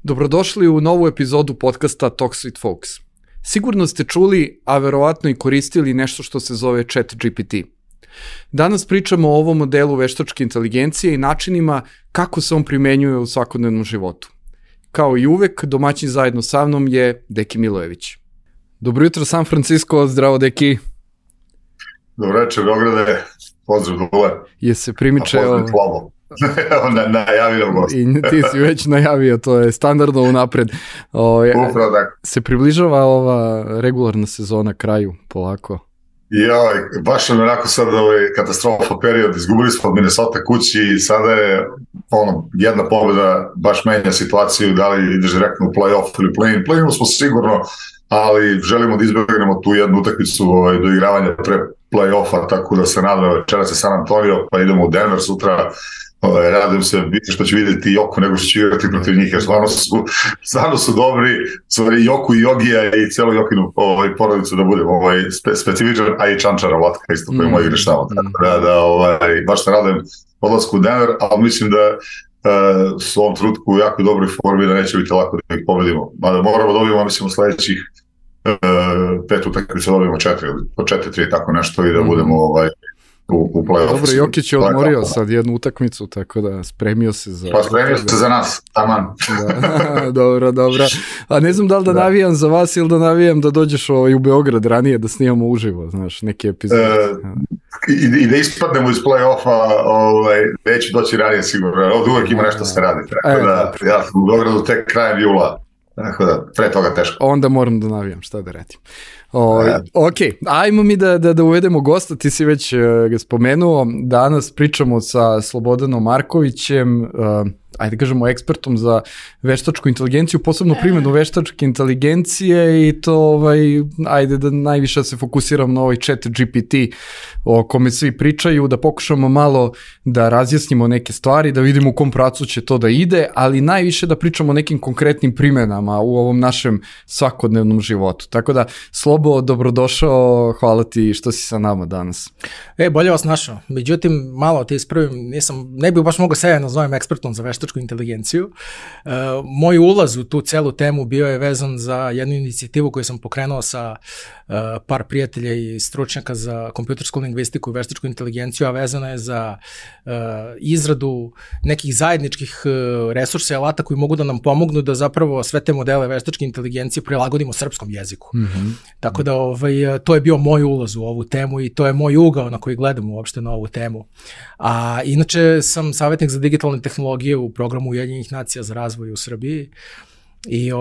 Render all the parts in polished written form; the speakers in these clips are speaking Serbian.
Dobrodošli u novu epizodu podcasta Talks with Folks. Sigurno ste čuli, a verovatno i koristili nešto što se zove ChatGPT. Danas pričamo o ovom modelu veštačke inteligencije i načinima kako se on primenjuje u svakodnevnom životu. Kao i uvek, domaćin zajedno sa mnom je Deki Milojević. Dobro jutro San Francisco, zdravo Deki. Dobro večer Beograde, pozdrav dole. Je se primičeo... Najavio gost. I ti si već najavio, to je standardno unapred. Upravo tako. Se približava ova regularna sezona kraju, polako. Baš je onako sad katastrofa period, izgubili smo od Minnesota kući i sada je jedna pobjeda baš menja situaciju, da li ideš direktno u play-off ili play-in. Play-inu smo sigurno, ali želimo da izbjegnemo tu jednu utakmicu do igravanja pre play-offa, tako da se nadam, večeras je San Antonio, pa idemo u Denver sutra. Radujem se više što ću vidjeti Joku nego što ću igrati protiv njih, jer stvarno su dobri, stvari Joku i Jogija i cijelu Jokinu porodicu da budem specifičan, a i Čančara Vlatka isto koji moj igraš tamo. Baš se radujem odlasku u Denver, ali mislim da su u ovom trenutku u jako dobroj formi, da neće biti lako da ih pobedimo. Mada moramo dobijemo, mislim, u sledećih 5 utakmica dobijemo 4-3 tako nešto i da budemo u play-off. Dobro, Jokić je odmorio sad jednu utakmicu, tako da spremio se za... Pa spremio se za nas, taman. Dobro. A ne znam da li da navijam za vas ili da navijam da dođeš u Beograd ranije da snimamo uživo, znaš, neke epizode. I da ispadnemo iz play-offa, neću doći ranije sigurno, ovdje uvek ima nešto se radi, tako da ja sam u Beogradu tek krajem jula, tako da pre toga teško. Onda moram da navijam, šta da radim. Ok, ajmo mi da uvedemo gosta, ti si već ga spomenuo, danas pričamo sa Slobodanom Markovićem, ajde kažemo ekspertom za veštačku inteligenciju, posebno primjenu veštačke inteligencije i to ajde da najviše se fokusiram na ovaj ChatGPT o kome svi pričaju, da pokušamo malo da razjasnimo neke stvari, da vidimo u kom pracu će to da ide, ali najviše da pričamo o nekim konkretnim primjenama u ovom našem svakodnevnom životu. Tako da, Slobo, dobrodošao, hvala ti što si sa nama danas. Bolje vas našao. Međutim, malo ti ispravim, ne bih baš mogao sebe nazovem ekspertom za veštačku inteligenciju. Moj ulaz u tu celu temu bio je vezan za jednu inicijativu koju sam pokrenuo sa par prijatelja i stručnjaka za kompjutersku lingvistiku i veštačku inteligenciju, a vezana je za izradu nekih zajedničkih resursa i alata koji mogu da nam pomognu da zapravo sve te modele veštačke inteligencije prilagodimo srpskom jeziku. Mm-hmm. Tako da to je bio moj ulaz u ovu temu i to je moj ugao na koji gledam uopšte na ovu temu. A inače sam savjetnik za digitalne tehnologije u programu Ujedinjenih nacija za razvoj u Srbiji i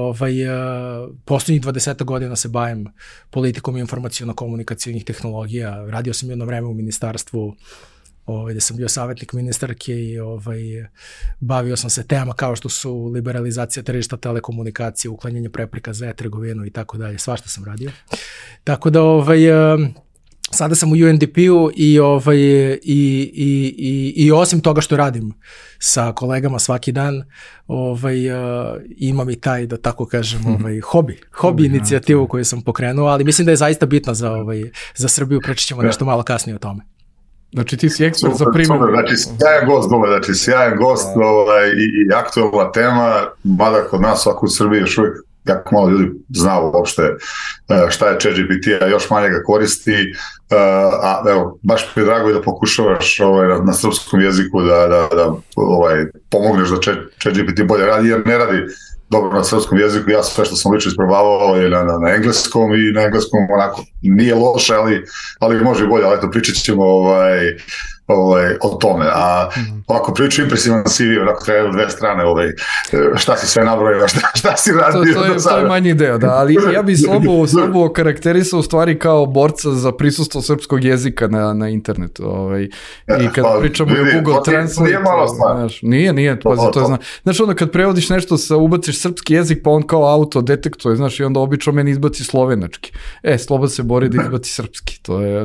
posljednjih 20 godina se bavim politikom informaciono-komunikacijnih tehnologija. Radio sam jedno vreme u ministarstvu gde sam bio savjetnik ministarke i bavio sam se tema kao što su liberalizacija tržišta telekomunikacije, uklanjanje prepreka za e-trgovinu i tako dalje. Svašta sam radio. Tako da sada sam u UNDP-u i osim toga što radim sa kolegama svaki dan, imam i taj, da tako kažem, hobi inicijativu koju sam pokrenuo, ali mislim da je zaista bitna za Srbiju, preći ćemo nešto malo kasnije o tome. Znači ti si ekspert za primjer. Znači sjajan gost i aktualna tema, mada kod nas ovako u Srbiji još uvijek jako malo ljudi zna uopšte šta je ChatGPT, a još manje ga koristi, a evo, baš mi je drago i da pokušavaš na srpskom jeziku da pomogneš da ChatGPT bolje radi, jer ne radi dobro na srpskom jeziku. Ja sve što sam lično isprobavao je na engleskom i na engleskom onako nije loše, ali može i bolje, ali eto pričat ćemo o tome. A ovako priču impresivan CV, onako treba 2 strane, šta si sve nabrojao, šta si radio do sada. To je manji deo, da, ali ja bih Slobo okarakterisao u stvari kao borca za prisustvo srpskog jezika na internetu. I kad pričamo o Google Translate, nije malo stvar. Nije, pazi, to je znaš. Znaš, onda kad prevodiš nešto, ubaciš srpski jezik, pa on kao auto detektuje, znaš, i onda obično meni izbaci slovenački. Slobo se bori da izbaci srpski, to je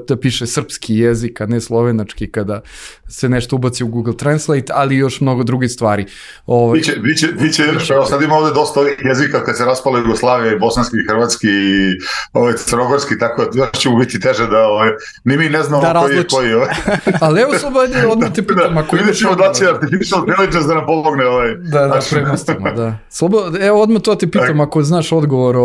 da piše srpski jezik, a ne slovenački. slovenački kada se nešto ubaci u Google Translate, ali još mnogo drugih stvari. Biće, evo sad ima ovde dosta ovih jezika kad se raspala Jugoslavija, i bosanski, i hrvatski, i crnogorski, tako da još će mu biti teže da ni mi ne znamo koji je koji. Ali evo Slobodne, odmah te pitam, ako imaš... Vidjet ćemo da će Artificial Intelligence da nam pomogne. Da, premostimo, da. Evo odmah to te pitam, ako znaš odgovor,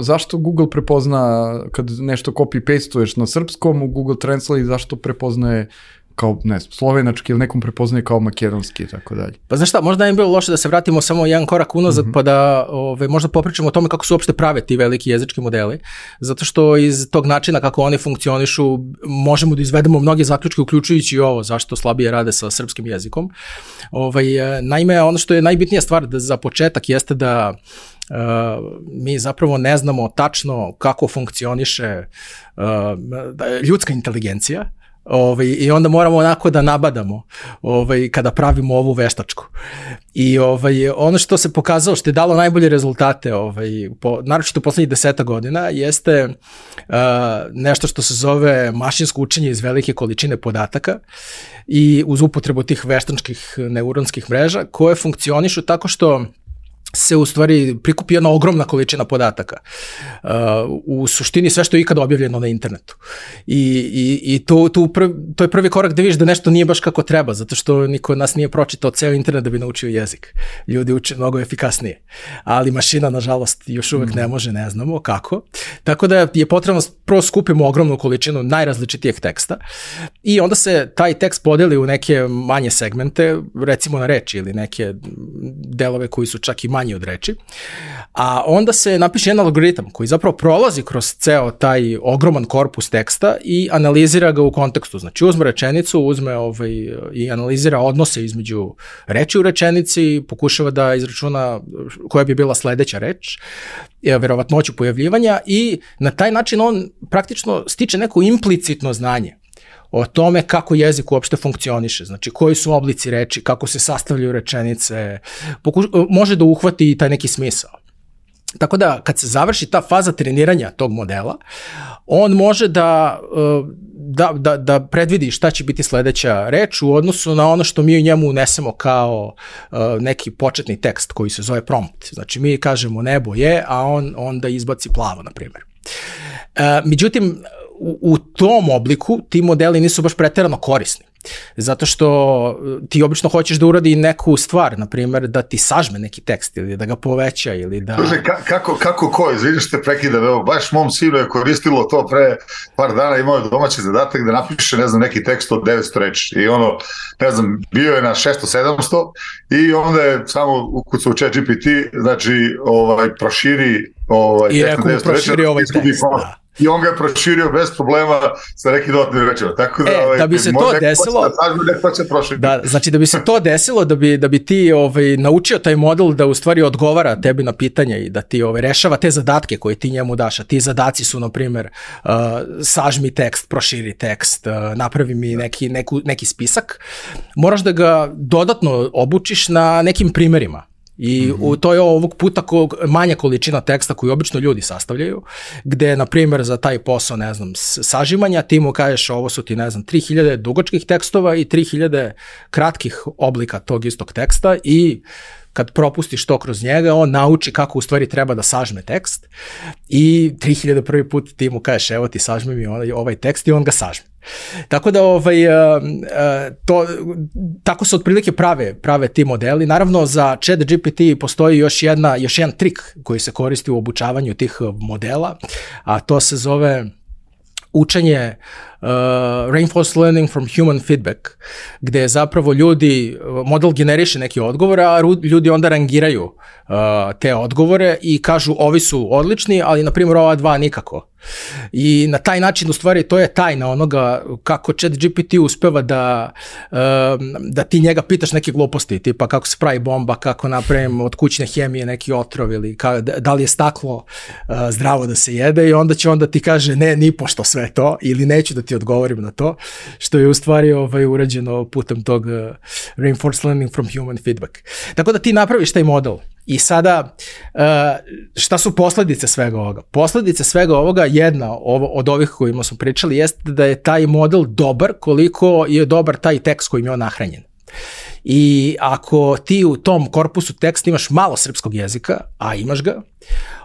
zašto Google prepozna, kad nešto copy-pastuješ na srpskom u Google Translate, zašto prepoznaje kao, ne znam, slovenački ili nekom prepoznaje kao makedonski i tako dalje. Pa znaš šta, možda je bilo loše da se vratimo samo jedan korak unazad, pa da možda popričamo o tome kako su uopšte prave ti veliki jezički modeli, zato što iz tog načina kako oni funkcionišu možemo da izvedemo mnoge zaključke, uključujući i ovo, zašto slabije rade sa srpskim jezikom. Naime, ono što je najbitnija stvar za početak jeste da mi zapravo ne znamo tačno kako funkcioniše ljudska inteligencija, i onda moramo onako da nabadamo kada pravimo ovu veštačku. I ono što se pokazalo, što je dalo najbolje rezultate, naročito u poslednjih 10 godina, jeste nešto što se zove mašinsko učenje iz velike količine podataka i uz upotrebu tih veštačkih neuronskih mreža koje funkcionišu tako što se u stvari prikupi jedna ogromna količina podataka. U suštini sve što je ikada objavljeno na internetu. I to je prvi korak da vidiš da nešto nije baš kako treba, zato što niko od nas nije pročitao ceo internet da bi naučio jezik. Ljudi uče mnogo efikasnije. Ali mašina, nažalost, još uvek ne može, ne znamo kako. Tako da je potrebno prvo skupimo ogromnu količinu najrazličitijeg teksta i onda se taj tekst podeli u neke manje segmente, recimo na reči ili neke delove koji su čak i manje od reči, a onda se napiše jedan algoritam koji zapravo prolazi kroz ceo taj ogroman korpus teksta i analizira ga u kontekstu. Znači uzme rečenicu, uzme i analizira odnose između reči u rečenici, pokušava da izračuna koja bi bila sledeća reč, verovatnoću pojavljivanja i na taj način on praktično stiče neko implicitno znanje o tome kako jezik uopšte funkcioniše, znači koji su oblici reči, kako se sastavljaju rečenice, može da uhvati taj neki smisao. Tako da kad se završi ta faza treniranja tog modela, on može da predvidi šta će biti sledeća reč u odnosu na ono što mi u njemu unesemo kao neki početni tekst koji se zove prompt. Znači mi kažemo nebo je, a on onda izbaci plavo, na primjer. Međutim, u tom obliku ti modeli nisu baš preterano korisni. Zato što ti obično hoćeš da uradi neku stvar, na primjer da ti sažme neki tekst ili da ga poveća ili da... Slušaj, kako ko? Izvidiš te prekida, evo, baš mom sinu je koristilo to pre par dana, imao je domaći zadatak da napiše, ne znam, neki tekst od 900 reči i ono, ne znam, bio je na 600-700 i onda je samo ukucao u ChatGPT, znači, proširi i rekao mu proširi ovaj tekst, da. I on ga je proširio bez problema sa nekim dodatnim rečima. Tako da, da bi se to desilo, znači da bi se to desilo, da bi ti naučio taj model da u stvari odgovara tebi na pitanja i da ti rešava te zadatke koje ti njemu daš, a ti zadaci su, na primjer, sažmi tekst, proširi tekst, napravi mi neki spisak, moraš da ga dodatno obučiš na nekim primerima. I to je ovog puta manja količina teksta koju obično ljudi sastavljaju, gde, na primjer, za taj posao, ne znam, sažimanja, ti mu kažeš ovo su ti, ne znam, 3000 dugačkih tekstova i 3000 kratkih oblika tog istog teksta i kad propustiš to kroz njega, on nauči kako u stvari treba da sažme tekst i 3000 prvi put ti mu kažeš evo ti sažmi mi ovaj tekst i on ga sažme. Tako da tako se otprilike prave ti modeli. Naravno za ChatGPT postoji još jedan trik koji se koristi u obučavanju tih modela, a to se zove učenje reinforced learning from human feedback, gde zapravo model generiše neke odgovore, a ljudi onda rangiraju te odgovore i kažu ovi su odlični, ali na primjer ova dva nikako. I na taj način u stvari to je tajna onoga kako ChatGPT uspeva da ti njega pitaš neke gluposti, tipa kako se pravi bomba, kako napravim od kućne hemije neki otrov ili da li je staklo zdravo da se jede i onda će ti kaže ne, nipošto sve to ili neću da ti odgovorim na to, što je u stvari urađeno putem tog reinforced learning from human feedback. Tako da ti napraviš taj model I sada, šta su posledice svega ovoga? Posledice svega ovoga, jedna od ovih kojima smo pričali, jeste da je taj model dobar koliko je dobar taj tekst kojim je on nahranjen. I ako ti u tom korpusu teksta imaš malo srpskog jezika, a imaš ga,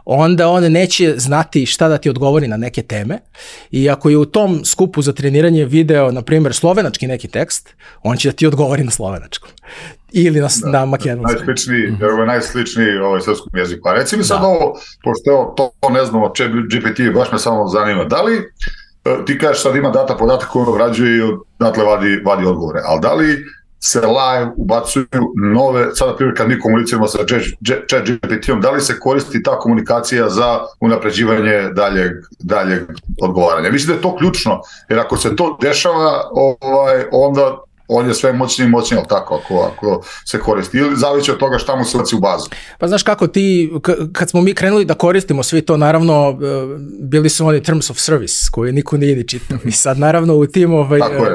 onda on neće znati šta da ti odgovori na neke teme. I ako je u tom skupu za treniranje video, na primjer, slovenački neki tekst, on će da ti odgovori na slovenačkom. Ili na makedonskom. Najsličniji srpskom jeziku. A reci mi sad ovo, pošto to ne znamo, GPT baš me samo zanima, da li ti kažeš sad ima data podatak koji on obrađuje i odatle vadi odgovore, ali da li se live ubacuju nove, sada na primjer kad mi komuniciramo sa chat GPT-om, da li se koristi ta komunikacija za unapređivanje daljeg odgovaranja? Mislim da je to ključno, jer ako se to dešava, onda on je sve moćniji, ali tako, ako se koristi. Ili zavisi od toga šta mu se baci u bazu. Pa znaš kako ti, kad smo mi krenuli da koristimo svi to, naravno, bili su oni terms of service, koje niko nije ni čitao. I sad, naravno, u tim... Tako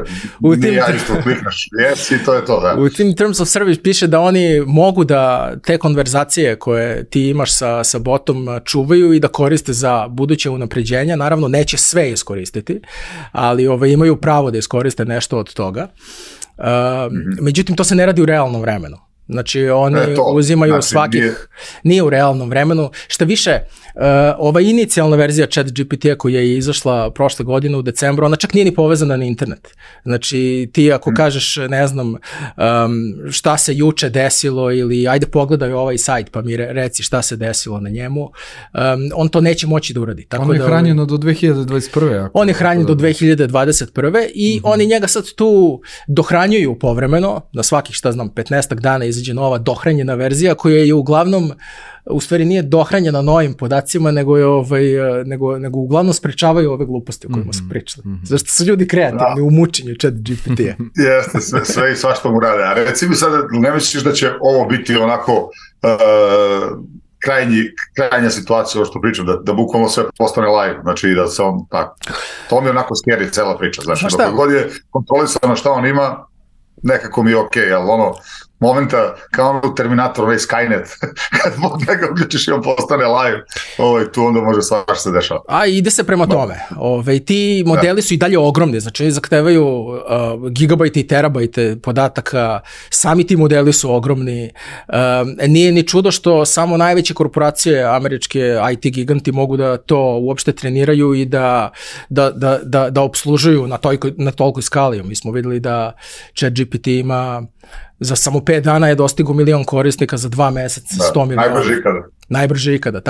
je, ja isto kliknaš, yes, i to je to, da. U tim terms of service piše da oni mogu da te konverzacije koje ti imaš sa botom čuvaju i da koriste za buduće unapređenja. Naravno, neće sve iskoristiti, ali imaju pravo da iskoriste nešto od toga. Međutim, to se ne radi u realnom vremenu. Znači, oni uzimaju svakih... Nije u realnom vremenu. Šta više, ova inicijalna verzija ChatGPT-a koja je izašla prošle godine u decembru, ona čak nije ni povezana na internet. Znači, ti ako kažeš, ne znam, šta se juče desilo ili ajde pogledaj ovaj sajt pa mi reci šta se desilo na njemu, on to neće moći da uradi. Tako on je hranjeno do 2021. On je hranjen do 2021. I oni njega sad tu dohranjuju povremeno, na svakih, 15 dana izađe nova dohranjena verzija koja je uglavnom, u stvari nije dohranjena novim podacima, nego uglavnom sprečavaju ove gluposti o kojima smo pričali. Zašto su ljudi kreativni u mučenju chat GPT-a? Jeste, sve i svašta mu rade. A reci mi sad, ne misliš da će ovo biti onako krajnja situacija, ovo što pričam, da bukvalno sve postane live, znači da se on tako. To mi je onako scary cela priča, znači dok god je kontrolisano šta on ima, nekako mi je okej, ali momenta, kao u Terminator, Skynet, kad njega uključiš i on postane live, tu onda može svašta se dešava. A ide se prema tome. Ti modeli su i dalje ogromni, znači zahtevaju gigabajte i terabajte podataka, sami ti modeli su ogromni. Nije ni čudo što samo najveće korporacije, američke IT giganti mogu da to uopšte treniraju i da obslužuju na tolikoj skali. Mi smo videli da ChatGPT ima za samo 5 dana je dostigo 1 milion korisnika, za 2 meseca 100 miliona. Najbrže ikada.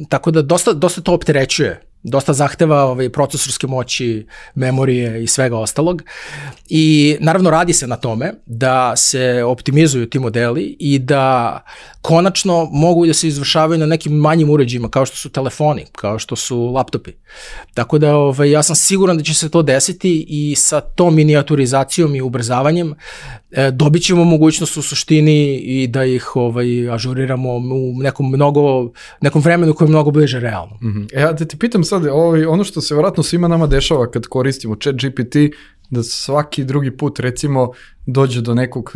Tako da dosta to opterećuje. Dosta zahteva procesorske moći, memorije i svega ostalog. I naravno radi se na tome da se optimizuju ti modeli i da konačno mogu da se izvršavaju na nekim manjim uređajima kao što su telefoni, kao što su laptopi. Tako da ja sam siguran da će se to desiti i sa tom minijaturizacijom i ubrzavanjem dobit ćemo mogućnost u suštini i da ih ažuriramo u nekom vremenu koje je mnogo bliže realno. Ja da ti pitam sad, ono što se vjerojatno svima nama dešava kad koristimo ChatGPT, da svaki drugi put recimo dođe do nekog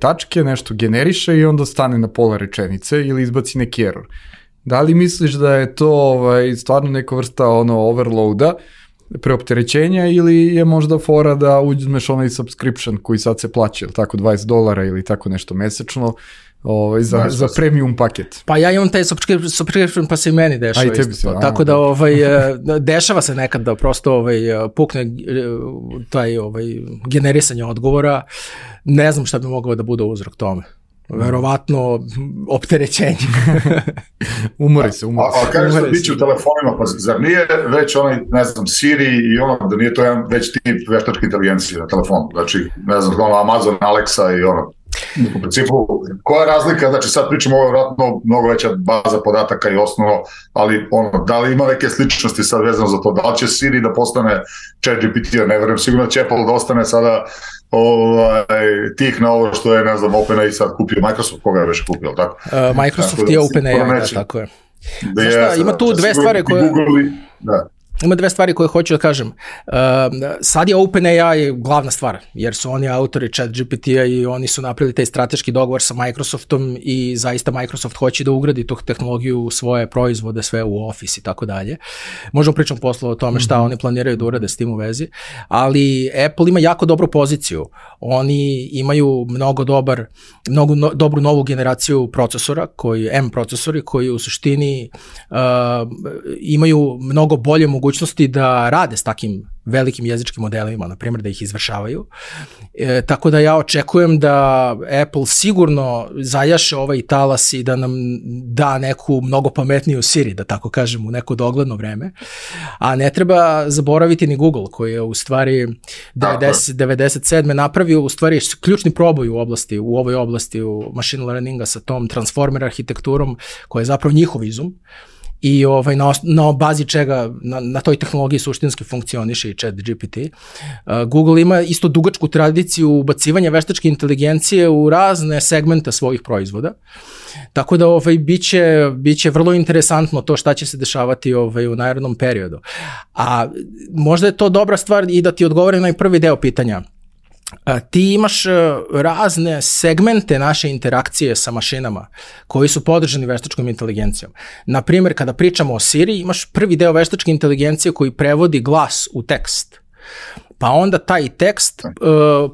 tačke, nešto generiše i onda stane na pola rečenice ili izbaci neki error. Da li misliš da je to stvarno neka vrsta overloada, preopterećenja, ili je možda fora da uzmeš onaj subscription koji sad se plaća, ili tako $20 ili tako nešto mesečno, za premium paket? Pa ja imam taj subscription pa se i meni dešava isto to. Tako da dešava se nekad da prosto pukne taj generisanje odgovora. Ne znam šta bi mogao da bude uzrok tome. Verovatno opterećenje. Umori se. A kažeš da biće u telefonima, pa zar nije već onaj, ne znam, Siri i da nije to jedan već tip veštačke inteligencije na telefonu? Znači, ne znam, Amazon, Alexa i u principu, koja je razlika, znači sad pričamo ovo vjerojatno mnogo veća baza podataka i osnovno, ali da li ima neke sličnosti sad vezano za to, da li će Siri da postane ChatGPT, ja ne verujem, sigurno će Apple da ostane sada tih na ovo što je, ne znam, OpenAI sad kupio, Microsoft, koga je već kupio, tako? Microsoft je OpenAI, tako je. Znaš šta, ima tu dve stvari koje... Ima dve stvari koje hoću da kažem. Sad je OpenAI glavna stvar, jer su oni autori ChatGPT-a i oni su napravili taj strateški dogovor sa Microsoftom i zaista Microsoft hoće da ugradi tu tehnologiju u svoje proizvode, sve u Office i tako dalje. Možemo pričati posle o tome šta oni planiraju da urade s tim u vezi, ali Apple ima jako dobru poziciju. Oni imaju mnogo dobru novu generaciju procesora, M procesori, koji u suštini imaju mnogo bolje mogućnosti da rade s takim velikim jezičkim modelima, na primjer da ih izvršavaju. Tako da ja očekujem da Apple sigurno zajaše ovaj talas i da nam da neku mnogo pametniju Siri, da tako kažem, u neko dogledno vreme. A ne treba zaboraviti ni Google, koji je u stvari 97. napravio u stvari ključni proboj u ovoj oblasti u machine learninga sa tom transformer arhitekturom, koja je zapravo njihov izum. I na bazi čega na toj tehnologiji suštinski funkcioniše i ChatGPT. Google ima isto dugačku tradiciju ubacivanja veštačke inteligencije u razne segmente svojih proizvoda. Tako da biće vrlo interesantno to šta će se dešavati u narednom periodu. A možda je to dobra stvar i da ti odgovorim na prvi deo pitanja. Ti imaš razne segmente naše interakcije sa mašinama koji su podržani veštačkom inteligencijom. Naprimjer, kada pričamo o Siri, imaš prvi deo veštačke inteligencije koji prevodi glas u tekst. Pa onda taj tekst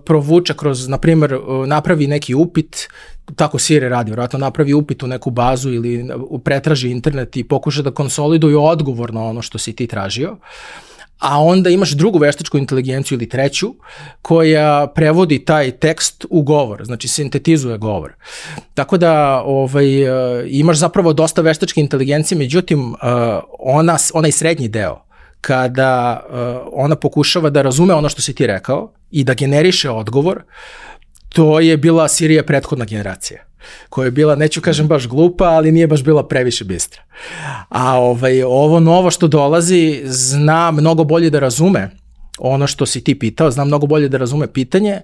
provuče kroz, naprimjer, napravi neki upit, tako Siri radi, vjerojatno napravi upit u neku bazu ili pretraži internet i pokuša da konsoliduje odgovor na ono što si ti tražio. A onda imaš drugu veštačku inteligenciju ili treću koja prevodi taj tekst u govor, znači sintetizuje govor. Tako da imaš zapravo dosta veštačke inteligencije, međutim onaj srednji deo, kada ona pokušava da razume ono što si ti rekao i da generiše odgovor, to je bila Sirija prethodna generacija, koja je bila, neću kažem baš glupa, ali nije baš bila previše bistra. A ovo novo što dolazi zna mnogo bolje da razume ono što si ti pitao, zna mnogo bolje da razume pitanje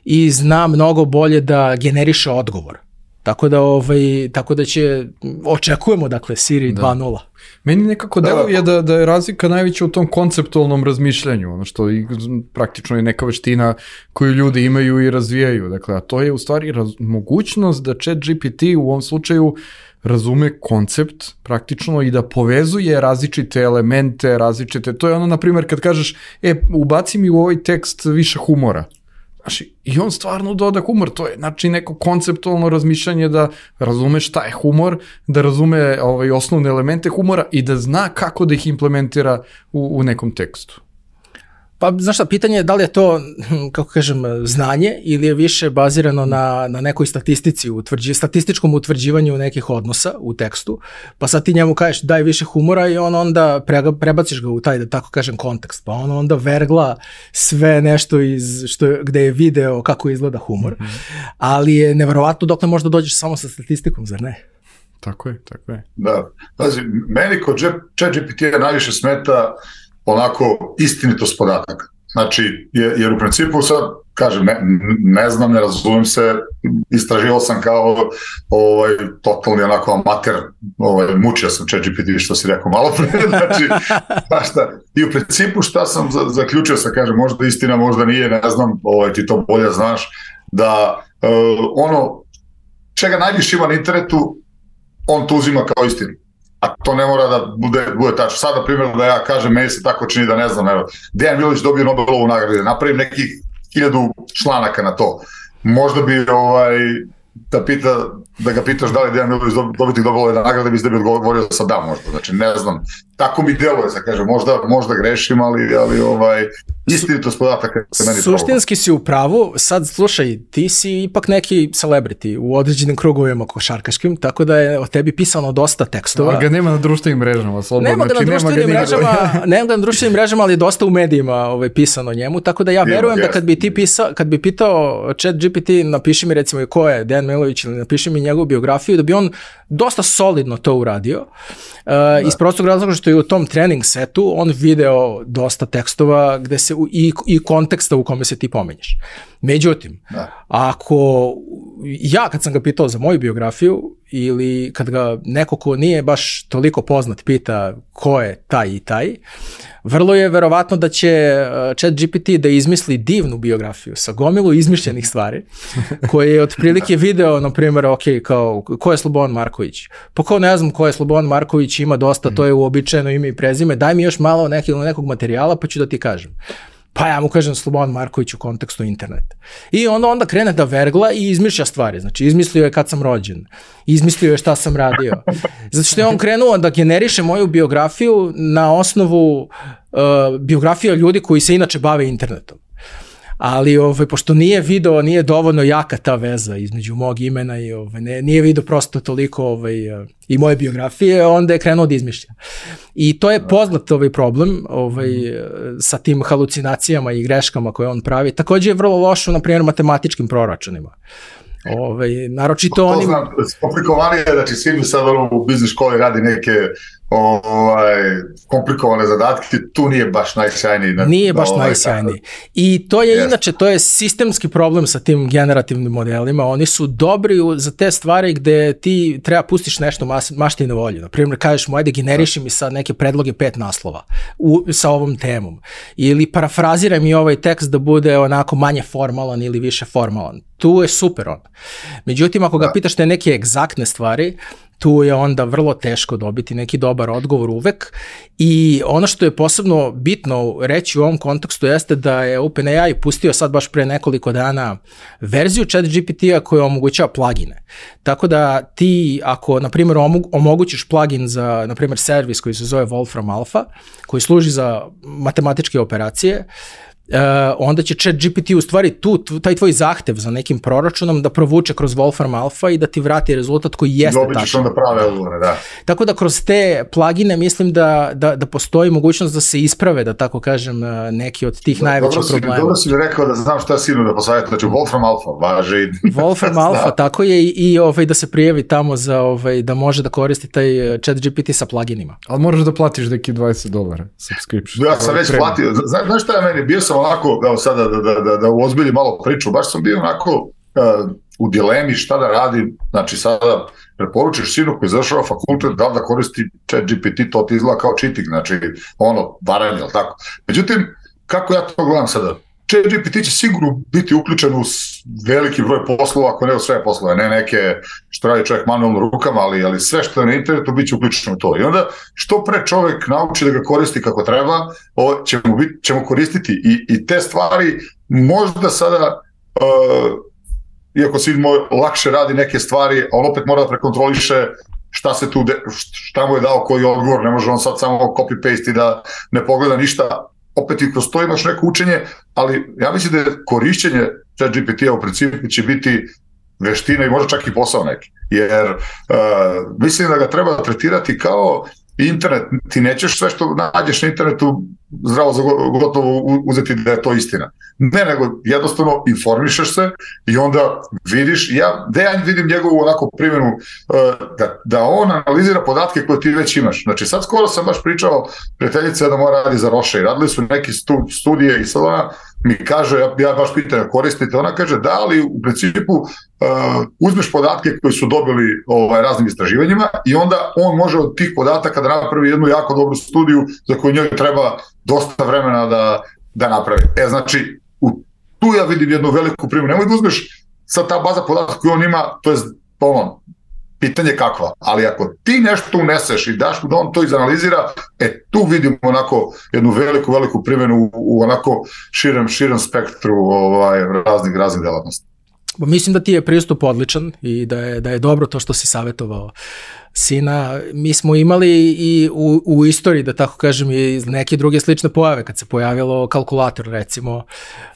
i zna mnogo bolje da generiše odgovor. Tako da očekujemo, dakle, Siri 2.0. Meni nekako deluje da je razlika najveća u tom konceptualnom razmišljanju, ono što praktično je neka veština koju ljudi imaju i razvijaju. Dakle, a to je u stvari mogućnost da ChatGPT u ovom slučaju razume koncept praktično i da povezuje različite elemente, to je ono, na primjer, kad kažeš, ubaci mi u ovaj tekst više humora. Znači, i on stvarno doda humor, to je znači neko konceptualno razmišljanje da razume šta je humor, da razume osnovne elemente humora i da zna kako da ih implementira u nekom tekstu. Pa, znaš šta, pitanje je da li je to, kako kažem, znanje ili je više bazirano na nekoj statistici, statističkom utvrđivanju nekih odnosa u tekstu, pa sad ti njemu kažeš daj više humora i on onda prebaciš ga u taj, da tako kažem, kontekst, pa on onda vergla sve nešto gde je video kako izgleda humor, ali je neverovatno dokle možda dođeš samo sa statistikom, zar ne? Tako je. Da, pazi, meni kod ChatGPT-a najviše smeta onako istinitost podataka. Znači, jer u principu sad, kažem, ne znam, ne razumem se, istraživao sam kao totalni onako amater, mučio sam ChatGPT, što si rekao malo pre, znači, šta. I u principu šta sam zaključio sam, kažem, možda istina, možda nije, ne znam, ti to bolje znaš, da ono, čega najviše ima na internetu, on to uzima kao istinu. A to ne mora da bude tačno. Sad, na primjer, da ja kažem, meni se tako čini da ne znam, evo, Dejan Milović dobio Nobelovu nagradu, napravim nekih 1000 članaka na to. Možda bi da ga pitaš da li Dejan Milović dobiti Nobelove nagrade, bi se da bi odgovorio sa da možda. Znači, ne znam, tako mi deluje, sad kažem, možda grešim, ali istinitost podataka se meni problem. Suštinski si u pravu, sad slušaj, ti si ipak neki celebrity u određenim krugovima košarkaškim, tako da je o tebi pisano dosta tekstova. Ali ga nema na društvenim mrežama, slobodno. Nema ga na društvenim mrežama, ali je dosta u medijima pisano o njemu, tako da ja verujem da kad bi pitao ChatGPT, napiši mi recimo ko je Dejan Milović ili napiši mi njegovu biografiju, da bi on dosta solidno to uradio. Iz prostog razloga što je u tom trening setu on video dosta tekstova gde se i konteksta u kome se ti pominješ. Međutim, ako ja kad sam ga pitao za moju biografiju, ili kad ga neko ko nije baš toliko poznat pita ko je taj i taj, vrlo je verovatno da će ChatGPT da izmisli divnu biografiju sa gomilu izmišljenih stvari, koje je otprilike video, na primjer, ok, kao, ko je Slobodan Marković? Pa kao ne znam ko je Slobodan Marković, ima dosta, to je uobičajeno ime i prezime, daj mi još malo nekog materijala pa ću da ti kažem. Pa ja mu kažem Slobodan Marković u kontekstu interneta. I onda krene da vergla i izmišlja stvari. Znači, izmislio je kad sam rođen, izmislio je šta sam radio. Zato što je on krenuo da generiše moju biografiju na osnovu biografija ljudi koji se inače bave internetom. Ali pošto nije video, nije dovoljno jaka ta veza između mog imena i nije video prosto toliko i moje biografije, onda je krenuo da izmišlja. I to je poznat problem sa tim halucinacijama i greškama koje on pravi. Također je vrlo lošo, na primjer, matematičkim proračunima. Naročito onim... Komplikovanije, znači svi mi sad u biznis školi radi neke komplikovane zadatke, tu nije baš najsjajniji. Nije baš najsjajniji. I to je inače, to je sistemski problem sa tim generativnim modelima. Oni su dobri za te stvari gde ti treba pustiš nešto mašti na volju. Naprimjer, kažeš mu, ajde generiši mi sad neke predloge 5 naslova sa ovom temom. Ili parafraziraj mi ovaj tekst da bude onako manje formalan ili više formalan. Tu je super on. Međutim, ako ga pitaš te neke egzaktne stvari, tu je onda vrlo teško dobiti neki dobar odgovor uvek. I ono što je posebno bitno reći u ovom kontekstu jeste da je OpenAI pustio sad baš pre nekoliko dana verziju ChatGPT-a koja omogućava plugine. Tako da ti, ako, na primjer, omogućiš plugin za, na primjer, servis koji se zove Wolfram Alpha, koji služi za matematičke operacije, onda će ChatGPT u stvari taj tvoj zahtev za nekim proračunom da provuče kroz Wolfram Alpha i da ti vrati rezultat koji jeste tačan. Dobit ćeš onda prave odgovore, da. Tako da kroz te plugine mislim da postoji mogućnost da se isprave, da tako kažem, neki od tih najvećih problema. Dobro si mi rekao da znam šta sinu da posavjetu, znači Wolfram Alpha, važi. Wolfram Alpha, tako je, i da se prijavi tamo za da može da koristi taj ChatGPT sa pluginima. Ali moraš da platiš neki $20 subscription. Ja sam već platio, znaš šta je meni, bio sam onako, evo sada da uozbilji malo priču, baš sam bio onako u dilemi šta da radim, znači sada preporučiš sinu koji završava fakultet da koristi ChatGPT, to ti izgleda kao cheating, znači varanje, ali tako. Međutim, kako ja to gledam sada? ChatGPT će sigurno biti uključen u veliki broj poslova, ako ne u sve poslove, ne neke što radi čovjek manualno rukama, ali sve što je na internetu bit će uključeno u to. I onda što pre čovjek nauči da ga koristi kako treba, ćemo koristiti i te stvari možda sada, iako si lakše radi neke stvari, on opet mora da prekontroliše šta mu je dao koji odgovor, ne može on sad samo copy-paste i da ne pogleda ništa. Opet i kroz to imaš neko učenje, ali ja mislim da je korišćenje ChatGPT-a u principu će biti veština i možda čak i posao neki. Jer mislim da ga treba tretirati kao internet. Ti nećeš sve što nađeš na internetu zdravo za gotovo uzeti da je to istina. Ne, nego jednostavno informišeš se i onda vidiš, ja vidim njegovu onako primjenu da on analizira podatke koje ti već imaš. Znači sad skoro sam baš pričao prijateljica da mora radi za Roche i radili su neke studije i sad ona mi kaže, ja baš pitam koristite, ona kaže da, ali u principu uzmeš podatke koji su dobili raznim istraživanjima i onda on može od tih podataka da napravi jednu jako dobru studiju za koju njoj treba dosta vremena da napravi. Znači, tu ja vidim jednu veliku primjenu. Nemoj da uzmeš sad ta baza podataka koju on ima, to je pitanje kakva, ali ako ti nešto uneseš i daš mu da on to izanalizira, tu vidimo onako jednu veliku primjenu u onako širem spektru raznih delatnosti. Mislim da ti je pristup odličan i da je dobro to što si savjetovao sina. Mi smo imali i u istoriji, da tako kažem, i neke druge slične pojave. Kad se pojavilo kalkulator, recimo,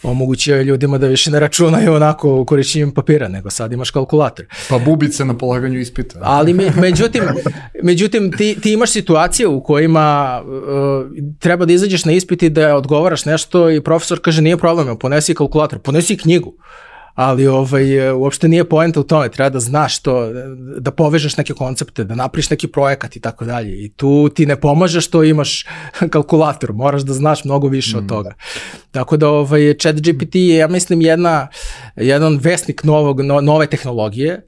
omogućio je ljudima da više ne računaju onako korišćenjem papira, nego sad imaš kalkulator. Pa bubice na polaganju ispita. Ali međutim ti imaš situacije u kojima treba da izađeš na ispit i da odgovaraš nešto i profesor kaže nije problem, ponesi kalkulator, ponesi knjigu. Ali uopšte nije poenta u tome, treba da znaš to, da povežeš neke koncepte, da napriš neki projekat i tako dalje. I tu ti ne pomaže što imaš kalkulator, moraš da znaš mnogo više od toga. Tako da ChatGPT je, ja mislim, jedan vesnik nove tehnologije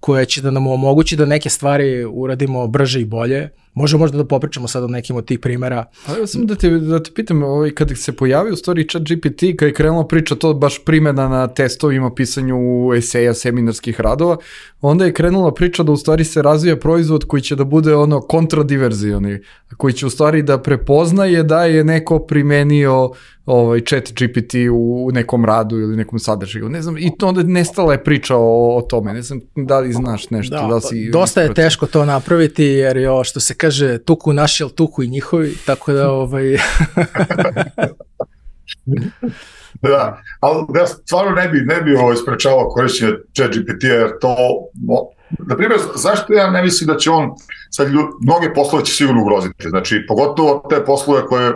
koja će da nam omogući da neke stvari uradimo brže i bolje. Možemo da popričamo sad o nekim od tih primjera. Ali sam da te pitam, kada se pojavio u stvari ChatGPT, kada je krenula priča to baš primjena na testovima, pisanju eseja, seminarskih radova, onda je krenula priča da u stvari se razvija proizvod koji će da bude kontradiverzioni, koji će u stvari da prepoznaje da je neko primenio ChatGPT u nekom radu ili nekom sadržaju. Ne znam, i to onda nestala je priča o tome. Ne znam da li znaš nešto. Da si dosta je teško to napraviti, jer je što se kaže tuku naši, ali tuku i njihovi, tako da Da, ali ja stvarno ne bi sprečavao korišćenje ChatGPT, jer to, na primjer, zašto ja ne mislim da će on, sad mnoge poslove će sigurno ugroziti, znači pogotovo te poslove koje,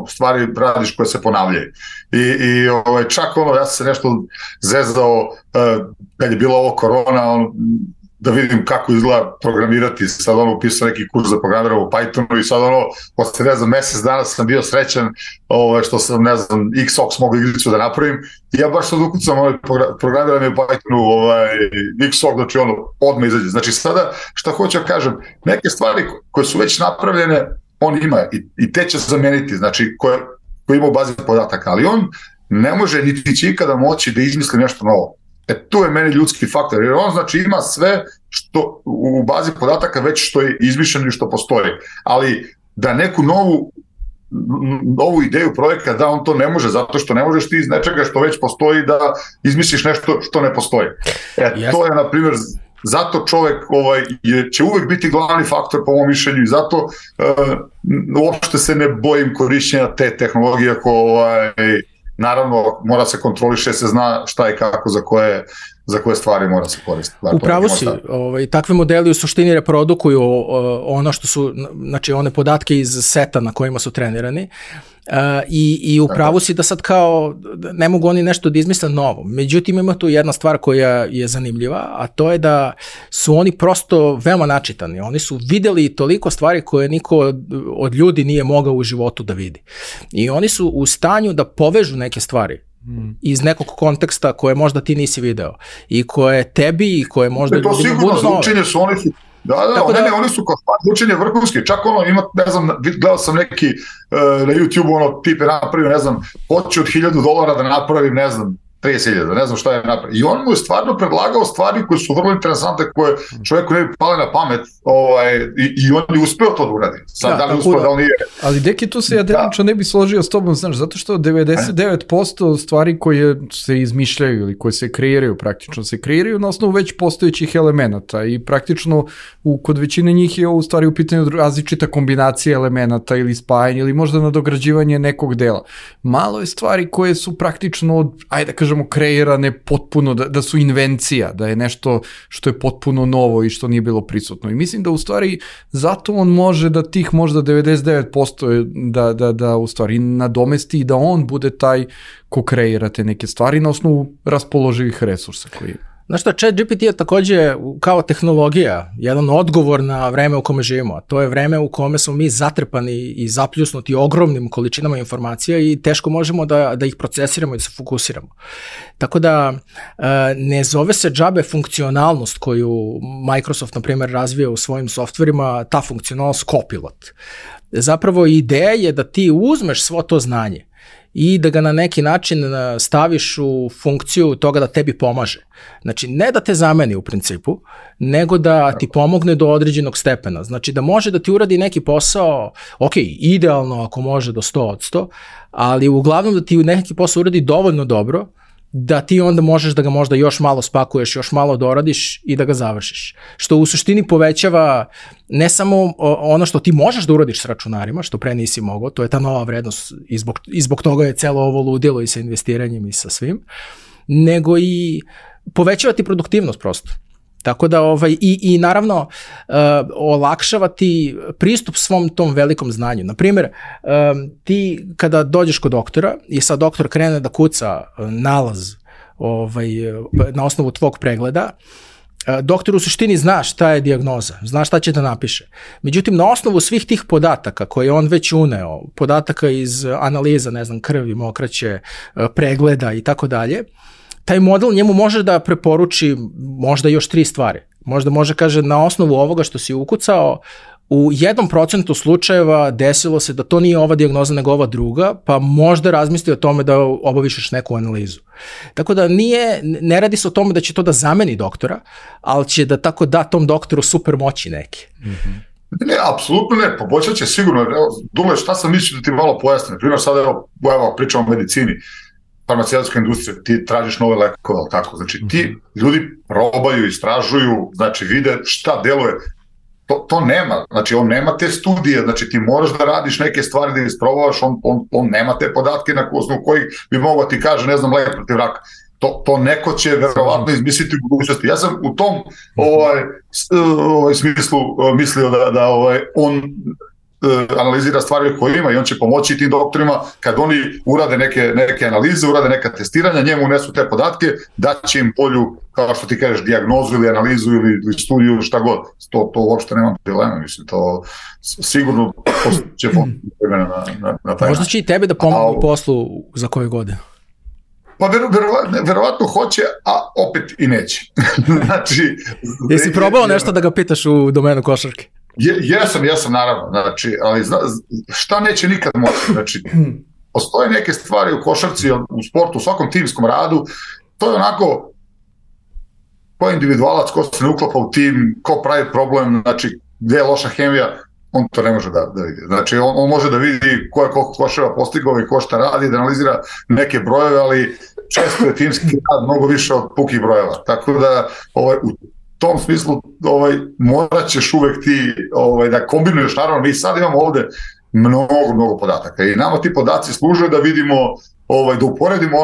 stvari radiš koje se ponavljaju. I čak ja sam se nešto zezao kad je bila ovo korona, da vidim kako izgleda programirati, sad upisao neki kurs za programiranje u Pythonu i sad posle, mesec dana sam bio srećan što sam, XOX mogu igricu da napravim i ja baš sad ukucam programiranje u Pythonu, XOX, znači odmah izađe. Znači sada, šta hoću da kažem, neke stvari koje su već napravljene, on ima i te će zameniti, znači koje ima u bazi podataka, ali on ne može niti će ikada moći da izmisli nešto novo. Tu je meni ljudski faktor, jer on znači ima sve što u bazi podataka već što je izmišljeno i što postoji, ali da neku novu ideju projekta da on to ne može, zato što ne možeš ti iz nečega što već postoji da izmisliš nešto što ne postoji. To je, na primjer, zato čovek će uvek biti glavni faktor po mom mišljenju i zato uopšte se ne bojim korišćenja te tehnologije naravno, mora se kontroliše, se zna šta i kako za koje stvari mora se koristiti. Upravo si, takve modeli u suštini reprodukuju ono što su, znači one podatke iz seta na kojima su trenirani i upravo si da sad kao ne mogu oni nešto da izmisle novo. Međutim, ima tu jedna stvar koja je zanimljiva, a to je da su oni prosto veoma načitani. Oni su videli toliko stvari koje niko od ljudi nije mogao u životu da vidi. I oni su u stanju da povežu neke stvari iz nekog konteksta koje možda ti nisi video i koje tebi i koje možda ljudima budu nove. To sigurno za učenje su oni... oni su kao učenje vrhunski, čak ima, ne znam, gledao sam neki na YouTube, tip je napravio, ne znam, hoću od $1,000 da napravim, ne znam, 30.000, ne znam šta je napravio. I on mu je stvarno predlagao stvari koje su vrlo interesantne, koje čovjeku ne bi pale na pamet i on je uspeo to da uradi. Sad, da li uspeo, da li nije. Ali Deki, tu se ja delimično ne bi složio s tobom, znaš, zato što 99% stvari koje se izmišljaju ili koje se kreiraju, praktično se kreiraju na osnovu već postojećih elemenata i praktično kod većine njih je u stvari u pitanju različita kombinacija elemenata ili spajanje ili možda nadograđivanje nekog dela. Malo je stvari koje su praktično, ajde kažemo, kreirane potpuno, da su invencija, da je nešto što je potpuno novo i što nije bilo prisutno. I mislim da u stvari zato on može da tih možda 99% da u stvari nadomesti i da on bude taj ko kreira te neke stvari na osnovu raspoloživih resursa koji... Znaš šta, ChatGPT je takođe kao tehnologija, jedan odgovor na vreme u kome živimo, a to je vreme u kome smo mi zatrpani i zapljusnuti ogromnim količinama informacija i teško možemo da ih procesiramo i da se fokusiramo. Tako da ne zove se džabe funkcionalnost koju Microsoft, na primjer, razvija u svojim softverima, ta funkcionalnost Copilot. Zapravo ideja je da ti uzmeš svo to znanje i da ga na neki način staviš u funkciju toga da tebi pomaže. Znači, ne da te zameni u principu, nego da ti pomogne do određenog stepena. Znači, da može da ti uradi neki posao, ok, idealno ako može do 100%, ali uglavnom da ti neki posao uradi dovoljno dobro, da ti onda možeš da ga možda još malo spakuješ, još malo doradiš i da ga završiš. Što u suštini povećava ne samo ono što ti možeš da uradiš s računarima, što pre nisi mogao, to je ta nova vrednost i zbog toga je celo ovo ludilo i sa investiranjem i sa svim, nego i povećava ti produktivnost prosto. Tako da i naravno olakšava ti pristup svom tom velikom znanju. Naprimjer, ti kada dođeš kod doktora i sad doktor krene da kuca nalaz na osnovu tvog pregleda, doktor u suštini zna šta je dijagnoza, zna šta će da napiše. Međutim, na osnovu svih tih podataka koje on već uneo, podataka iz analiza, ne znam, krvi, mokraće, pregleda i tako dalje, taj model njemu može da preporuči možda još 3 stvari. Možda može, kaže, na osnovu ovoga što si ukucao, u 1% slučajeva desilo se da to nije ova dijagnoza nego ova druga, pa možda razmisli o tome da obaviš neku analizu. Tako da ne radi se o tome da će to da zameni doktora, ali će da tako da tom doktoru super moći neki. Ne, apsolutno ne, poboljšat će sigurno. Dule, šta sam mislio da ti malo pojasnim? Primjer, sad evo pričamo o medicini, farmaceutska industrija, ti tražiš nove lekove, tako? Znači, ti ljudi probaju, istražuju, znači, vide šta deluje. To nema, znači on nema te studije, znači ti moraš da radiš neke stvari da isprobavaš, on nema te podatke na osnovu kojih bi mogao ti kaže, ne znam, lek protiv raka. To neko će verovatno izmisliti u budućnosti. Ja sam u tom smislu mislio da on analizira stvari koje ima i on će pomoći tim doktorima kad oni urade neke analize, urade neka testiranja, njemu unesu te podatke, daće im polju, kao što ti kažeš, dijagnozu ili analizu ili studiju, šta god. To uopšte nema dilema, mislim, to sigurno će vremena na taj. Možda će i tebe da pomogu u poslu za koju godinu. Pa verovatno hoće, a opet i neće. Znači, jesi probao nešto da ga pitaš u domenu košarke? Jesam naravno, znači, ali šta neće nikad moći, znači, postoje neke stvari u košarci, u sportu, u svakom timskom radu, to je onako, ko je individualac, ko se ne uklapa u tim, ko pravi problem, znači, gde je loša hemija, on to ne može da vidi. Znači, on može da vidi ko je koliko koševa postigao i ko šta radi, da analizira neke brojeve, ali često je timski rad mnogo više od pukih brojeva, tako da, u tom smislu morat ćeš uvek ti da kombinuješ, naravno mi sad imamo ovde mnogo podataka i nama ti podaci služe da vidimo, da uporedimo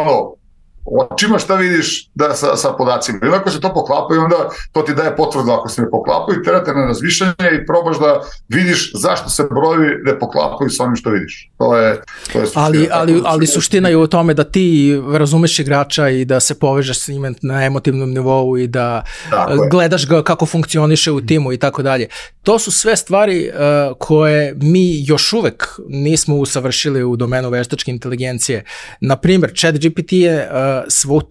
očima šta vidiš sa podacima. I ako se to poklapa i onda to ti daje potvrdu ako se ne poklapaju, terate na razmišljanje i probaš da vidiš zašto se brojevi ne poklapaju sa onim što vidiš. To je suština. Ali suština je u tome da ti razumeš igrača i da se povežeš s njim na emotivnom nivou i da gledaš ga kako funkcioniše u timu i tako dalje. To su sve stvari koje mi još uvek nismo usavršili u domenu veštačke inteligencije. Naprimjer, ChatGPT je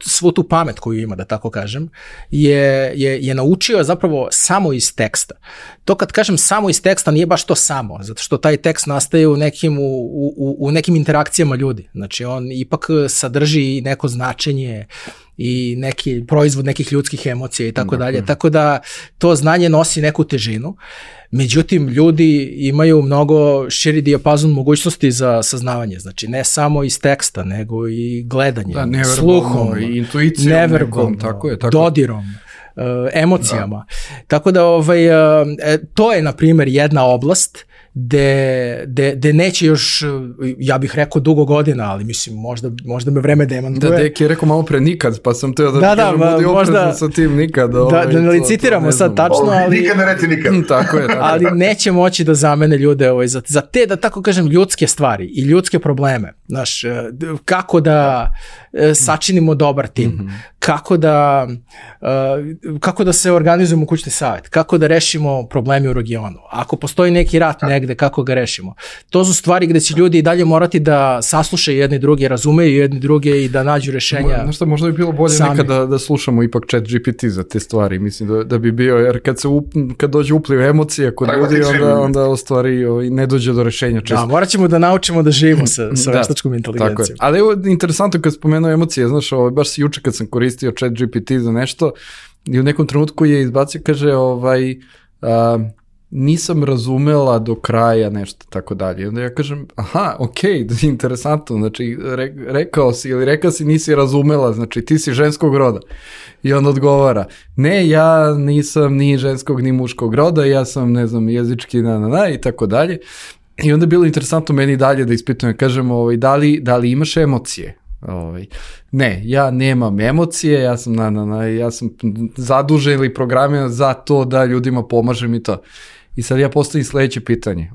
svu tu pamet koju ima, da tako kažem, je naučio zapravo samo iz teksta. To kad kažem samo iz teksta nije baš to samo, zato što taj tekst nastaje u nekim interakcijama ljudi. Znači on ipak sadrži neko značenje i neki proizvod nekih ljudskih emocija i tako dalje. Tako da to znanje nosi neku težinu. Međutim, ljudi imaju mnogo širi dijapazon mogućnosti za saznavanje. Znači, ne samo iz teksta, nego i gledanjem, sluhom, intuicijom, neverbalom, dodirom, emocijama. Tako da to je, na primjer, jedna oblast gde neće još, ja bih rekao, dugo godina, ali mislim, možda me vreme demantuje. Da, Deki je rekao malo pre nikad, pa sam teo da kažem, budi oprezan sa tim nikad. Da ne licitiramo sad tačno, ali... Nikad ne reci nikad. Tako je. Ali neće moći da zamene ljude za te, da tako kažem, ljudske stvari i ljudske probleme. Znaš, kako da sačinimo dobar tim, kako da se organizujemo kućni savjet, kako da rešimo problemi u regionu. Ako postoji neki rat negde, kako ga rešimo. To su stvari gde će ljudi i dalje morati da saslušaju jedni druge, razumeju jedni druge i da nađu rešenja. Znaš šta, možda bi bilo bolje nekada da slušamo ipak ChatGPT za te stvari. Mislim da bi bio, jer kad dođe upliv emocija kod ljudi, onda u stvari ne dođe do rešenja često. Da, morat ćemo da naučimo da živimo sa veštačkom inteligencijom. Ali evo, interesantno kad spomenuo emocije, znaš, baš juče kad sam koristio ChatGPT za nešto i u nekom trenutku je izbacio, kaže, nisam razumela do kraja nešto, tako dalje. Onda ja kažem, interesantno, znači rekao si nisi razumela, znači ti si ženskog roda. I on odgovara, ne, ja nisam ni ženskog ni muškog roda, ja sam, ne znam, jezički i tako dalje. I onda je bilo interesantno meni dalje da ispitujem, kažem, da li imaš emocije? Ne, ja nemam emocije, ja sam zadužen ili programiran za to da ljudima pomažem i to. I sad ja postavim sledeće pitanje,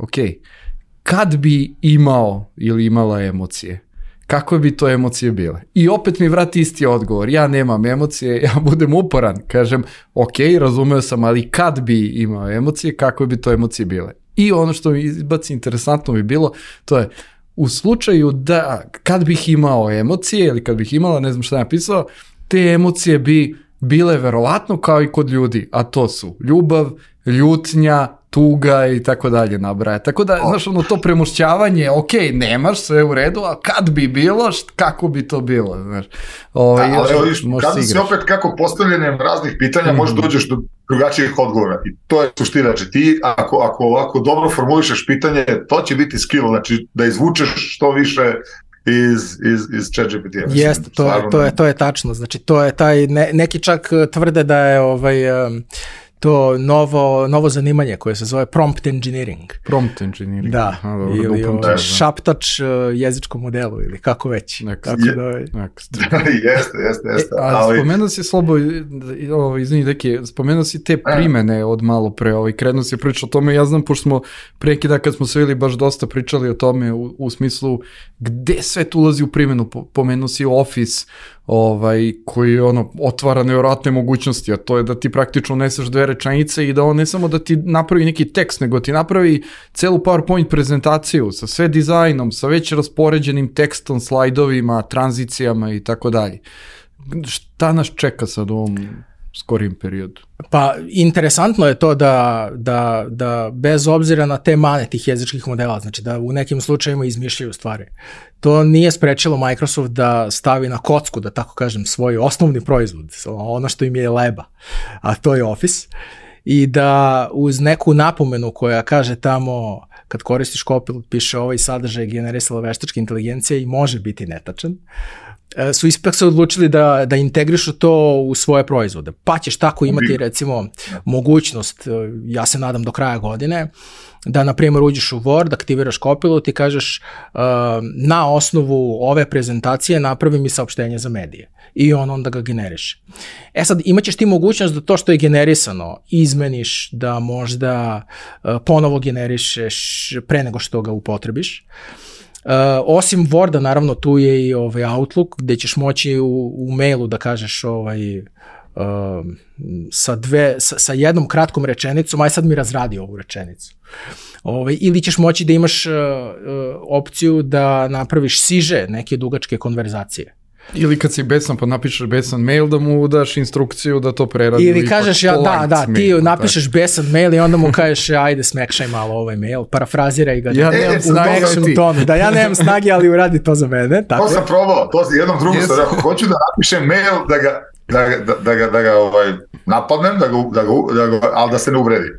kad bi imao ili imala emocije, kakve bi to emocije bile? I opet mi vrati isti odgovor, ja nemam emocije, ja budem uporan, kažem, razumeo sam, ali kad bi imao emocije, kakve bi to emocije bile? I ono što mi izbaci interesantno bi bilo, to je, u slučaju da kad bih imao emocije ili kad bih imala, ne znam šta je napisao, te emocije bi bile verovatno kao i kod ljudi, a to su ljubav, ljutnja, tuga i tako dalje nabraja. Tako da, znaš, to premošćavanje, ok, nemaš, sve u redu, a kad bi bilo, kako bi to bilo, znaš. Ali evo, kada si opet kako postavljanjem raznih pitanja možeš dođeš do drugačijih odgovora i to je suština. Znači ti, ako ovako dobro formulišeš pitanje, to će biti skill, znači da izvučeš što više iz ChatGPT-a. Jeste, to je tačno. Znači, to je taj, neki čak tvrde da je to novo zanimanje koje se zove prompt engineering. Prompt engineering. Da, ili šaptač jezičkom modelu ili kako već. Jeste. Ali spomenuo si izvini Deki, spomenuo si te primene od malo pre, krenuo si priča o tome, ja znam, pošto smo prekida kad smo se bili baš dosta pričali o tome u smislu gde sve tu ulazi u primjenu, pomenuo si Office, koji otvara nevjerojatne mogućnosti, a to je da ti praktično uneseš 2 rečenice i da on ne samo da ti napravi neki tekst, nego ti napravi celu PowerPoint prezentaciju sa sve dizajnom, sa već raspoređenim tekstom, slajdovima, tranzicijama i tako dalje. Šta nas čeka sad u ovom skorijem periodu? Pa interesantno je to da bez obzira na te mane tih jezičkih modela, znači da u nekim slučajima izmišljaju stvari. To nije sprečilo Microsoft da stavi na kocku, da tako kažem, svoj osnovni proizvod, ono što im je leba, a to je Office, i da uz neku napomenu koja kaže tamo kad koristiš Copilot piše ovaj sadržaj generisala veštačka inteligencija i može biti netačan, su ipak se odlučili da integrišu to u svoje proizvode. Pa ćeš tako imati recimo mogućnost, ja se nadam do kraja godine, da na primjer uđeš u Word, aktiviraš Copilot i kažeš na osnovu ove prezentacije napravi mi saopštenje za medije i on onda ga generiše. Sad imaćeš ti mogućnost da to što je generisano izmeniš, da možda ponovo generišeš pre nego što ga upotrebiš. Osim Worda, naravno, tu je i Outlook, gde ćeš moći u mailu da kažeš sa jednom kratkom rečenicom, aj sad mi razradi ovu rečenicu. Ili ćeš moći da imaš opciju da napraviš siže neke dugačke konverzacije. Ili kad si besan, pa napišeš besan mail, da mu daš instrukciju da to preradi. Ili kažeš, ti napišeš besan mail i onda mu kažeš, ajde smekšaj malo ovaj mail, parafraziraj ga. Ja nemam snage tonu. Da, ja nemam snage, ali uradi to za mene. Tako. To sam probao, to jednom drugom sam rekao, hoću da napišem mail da ga napadnem, ali da se ne uvredi.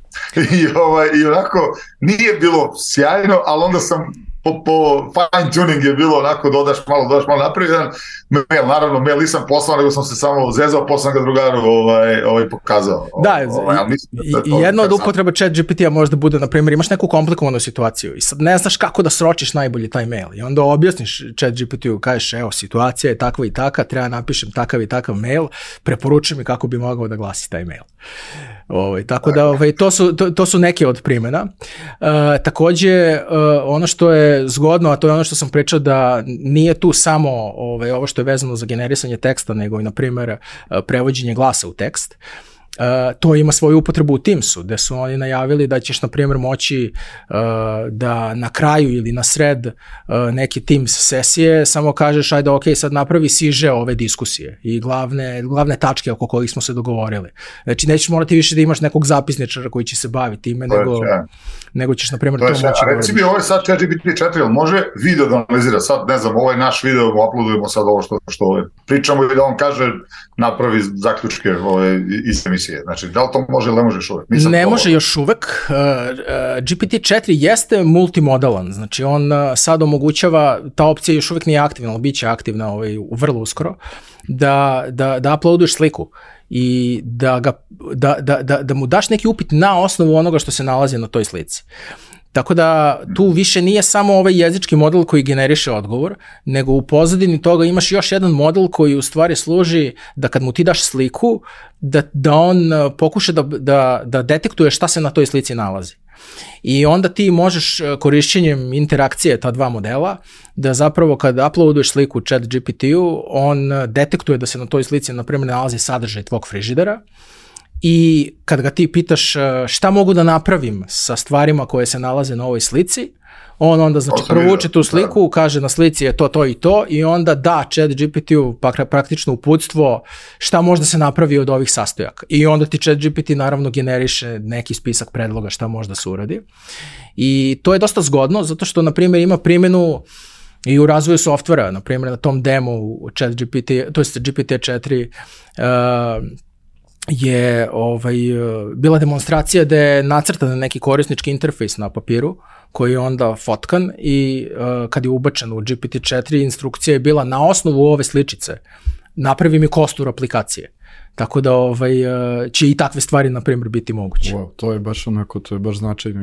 I onako nije bilo sjajno, ali onda sam po fine tuning je bilo onako dodaš malo napravi jedan mail, naravno mail nisam poslao, nego sam se samo zezao, poslam ga drugaru pokazao. Jedno od upotreba ChatGPT-a možda bude, na primjer, imaš neku komplikovanu situaciju i sad ne znaš kako da sročiš najbolji taj mail i onda objasniš ChatGPT-u, kažeš, evo, situacija je takva i takva, treba napišem takav i takav mail, preporučujem mi kako bi mogao da glasi taj mail. Tako da to su neke od primjena. Takođe, ono što je zgodno, a to je ono što sam pričao, da nije tu samo ovo što je vezano za generisanje teksta, nego i, na primjer, prevođenje glasa u tekst. To ima svoju upotrebu u Teamsu, gde su oni najavili da ćeš, na primjer, moći da na kraju ili na sred neke Teams sesije samo kažeš, ajde, ok, sad napravi siže ove diskusije i glavne tačke oko kojih smo se dogovorili. Znači, nećeš morati više da imaš nekog zapisničara koji će se baviti ime, nego ćeš, na primjer, to moći da uradiš. Reci mi, ovo je sad ChatGPT 4, može video da analizira? Sad, ne znam, ovaj naš video, uploadujemo sad ovo što pričamo i da on kaže, napravi zaključke iz emisije. Znači, da li to može ili ne može još uvek? Ne može još uvek. GPT-4 jeste multimodalan, znači on sad omogućava, ta opcija još uvek nije aktivna, ali bit će aktivna vrlo uskoro, da uploaduješ sliku i da mu daš neki upit na osnovu onoga što se nalazi na toj slici. Tako da tu više nije samo ovaj jezički model koji generiše odgovor, nego u pozadini toga imaš još jedan model koji u stvari služi da kad mu ti daš sliku, da on pokuša da detektuje šta se na toj slici nalazi. I onda ti možeš korišćenjem interakcije ta dva modela da zapravo kad uploaduješ sliku chat GPT-u, on detektuje da se na toj slici, na primjer, nalazi sadržaj tvog frižidera. I kad ga ti pitaš šta mogu da napravim sa stvarima koje se nalaze na ovoj slici, On onda znači provuče tu sliku, kaže na slici je to i to i onda da ChatGPT-u praktično uputstvo šta može da se napravi od ovih sastojaka. I onda ti ChatGPT naravno generiše neki spisak predloga šta može da se uradi. I to je dosta zgodno zato što na primjer ima primjenu i u razvoju softvera, na primjer na tom demo ChatGPT, to jest GPT-4 je bila demonstracija da je nacrtan neki korisnički interfejs na papiru koji je onda fotkan i kad je ubačen u GPT-4 instrukcija je bila na osnovu ove sličice napravi mi kostur aplikacije. Tako da će i takve stvari, na primjer, biti moguće. Wow, to je baš onako, to je baš značajno.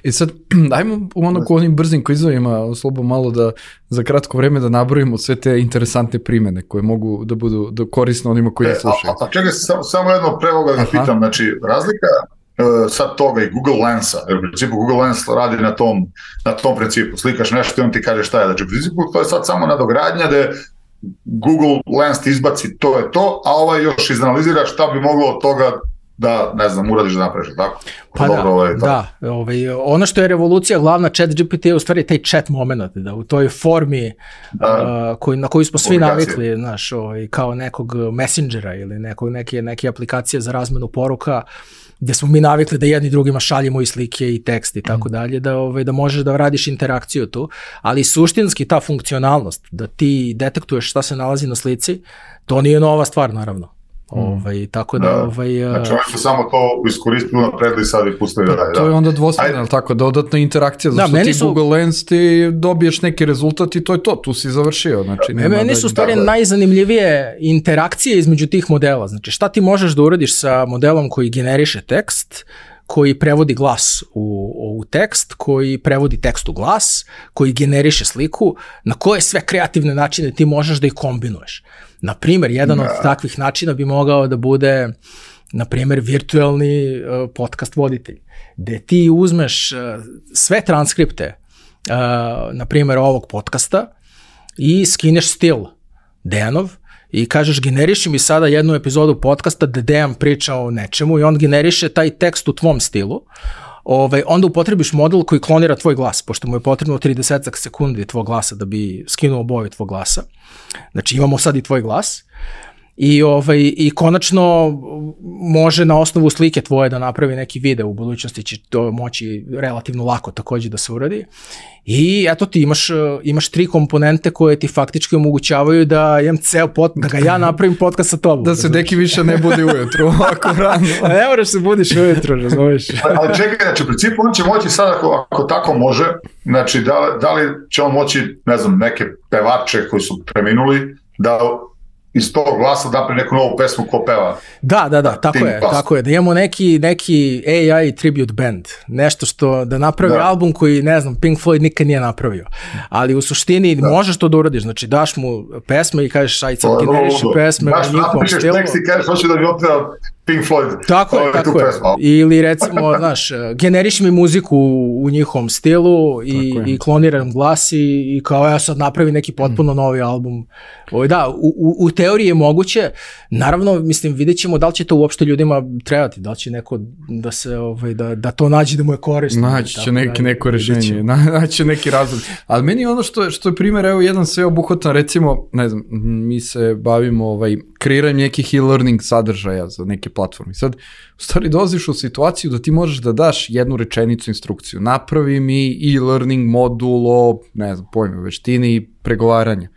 I sad, dajmo onako onim brzim kvizovima slobodno malo da za kratko vreme da nabrojimo sve te interesantne primene koje mogu da budu korisne onima koji slušaju. Čekaj, samo jedno pre ovoga da pitam, znači razlika sad toga i Google Lensa, jer u principu Google Lens radi na tom principu, slikaš nešto i on ti kaže šta je, znači u principu to je sad samo nadogradnja da Google Lens ti izbaci to je to, a još izanalizira šta bi moglo od toga da, ne znam, uradiš da napraviš, tako? Pa ono što je revolucija glavna ChatGPT je u stvari taj chat moment, da u toj formi na koju smo svi navikli, znaš, kao nekog messengera ili neke aplikacije za razmenu poruka, gde smo mi navikli da jedni drugima šaljemo i slike i tekst i tako dalje, da možeš da radiš interakciju tu, ali suštinski ta funkcionalnost, da ti detektuješ šta se nalazi na slici, to nije nova stvar, naravno. Tako da... Znači, oni su samo to iskoristili napredili sad i pustili da daje. To je onda dvostrana, ali tako, dodatna interakcija, zato ti Google Lens ti dobiješ neki rezultat i to je to, tu si završio. Znači, meni su stvari najzanimljivije interakcije između tih modela. Znači, šta ti možeš da uradiš sa modelom koji generiše tekst, koji prevodi glas u tekst, koji prevodi tekst u glas, koji generiše sliku, na koje sve kreativne načine ti možeš da ih kombinuješ. Na primjer, jedan od takvih načina bi mogao da bude, na primjer, virtualni podcast voditelj, gde ti uzmeš sve transkripte, na primjer, ovog podcasta i skineš stil Dejanov i kažeš generiši mi sada jednu epizodu podcasta da Dejan priča o nečemu i on generiše taj tekst u tvom stilu. Onda upotrebiš model koji klonira tvoj glas, pošto mu je potrebno 30 sekundi tvoj glasa da bi skinuo boju tvoj glasa. Znači imamo sad i tvoj glas i konačno može na osnovu slike tvoje da napravi neki video, u budućnosti će to moći relativno lako također da se uradi. I eto ti imaš 3 komponente koje ti faktički omogućavaju da imam da ga ja napravim podcast sa tobom. Da se deki više ne budi ujutru, ovako rano. Ne moraš se budiš ujutru, razumiješ. Ali čekaj, znači u principu on će moći sad ako tako može, znači da li će on moći, ne znam, neke pevače koji su preminuli, da iz tog glasa da neku novu pesmu ko peva. Da, tako je. Da imamo neki AI tribute band. Nešto što da napravi album koji, ne znam, Pink Floyd nikad nije napravio. Ali u suštini možeš to da uradiš. Znači daš mu pesme i kažeš aj sad generiši pesme u njihovom stilu. Daš tekst i kažeš hoće da mi otpeva Pink Floyd. Tako je. Ili recimo, znaš, generiši mi muziku u njihovom stilu i kloniram glas i kao ja sad napravi neki potpuno novi album. Da, u teoriji je moguće. Naravno, mislim, vidjet ćemo da li će to uopšte ljudima trebati, da li će neko da se, da to nađe da mu je korisno. Naći će neko rešenje, naći će neki razlog. Ali meni ono što je primjer, evo jedan sveobuhvatan, recimo, ne znam, mi se bavimo kreiranjem nekih e-learning sadržaja za neke platforme. Sad, u stvari dolaziš u situaciju da ti možeš da daš jednu rečenicu instrukciju. Napravi mi e-learning modul o, ne znam, pojme, veštini i pregovaranja.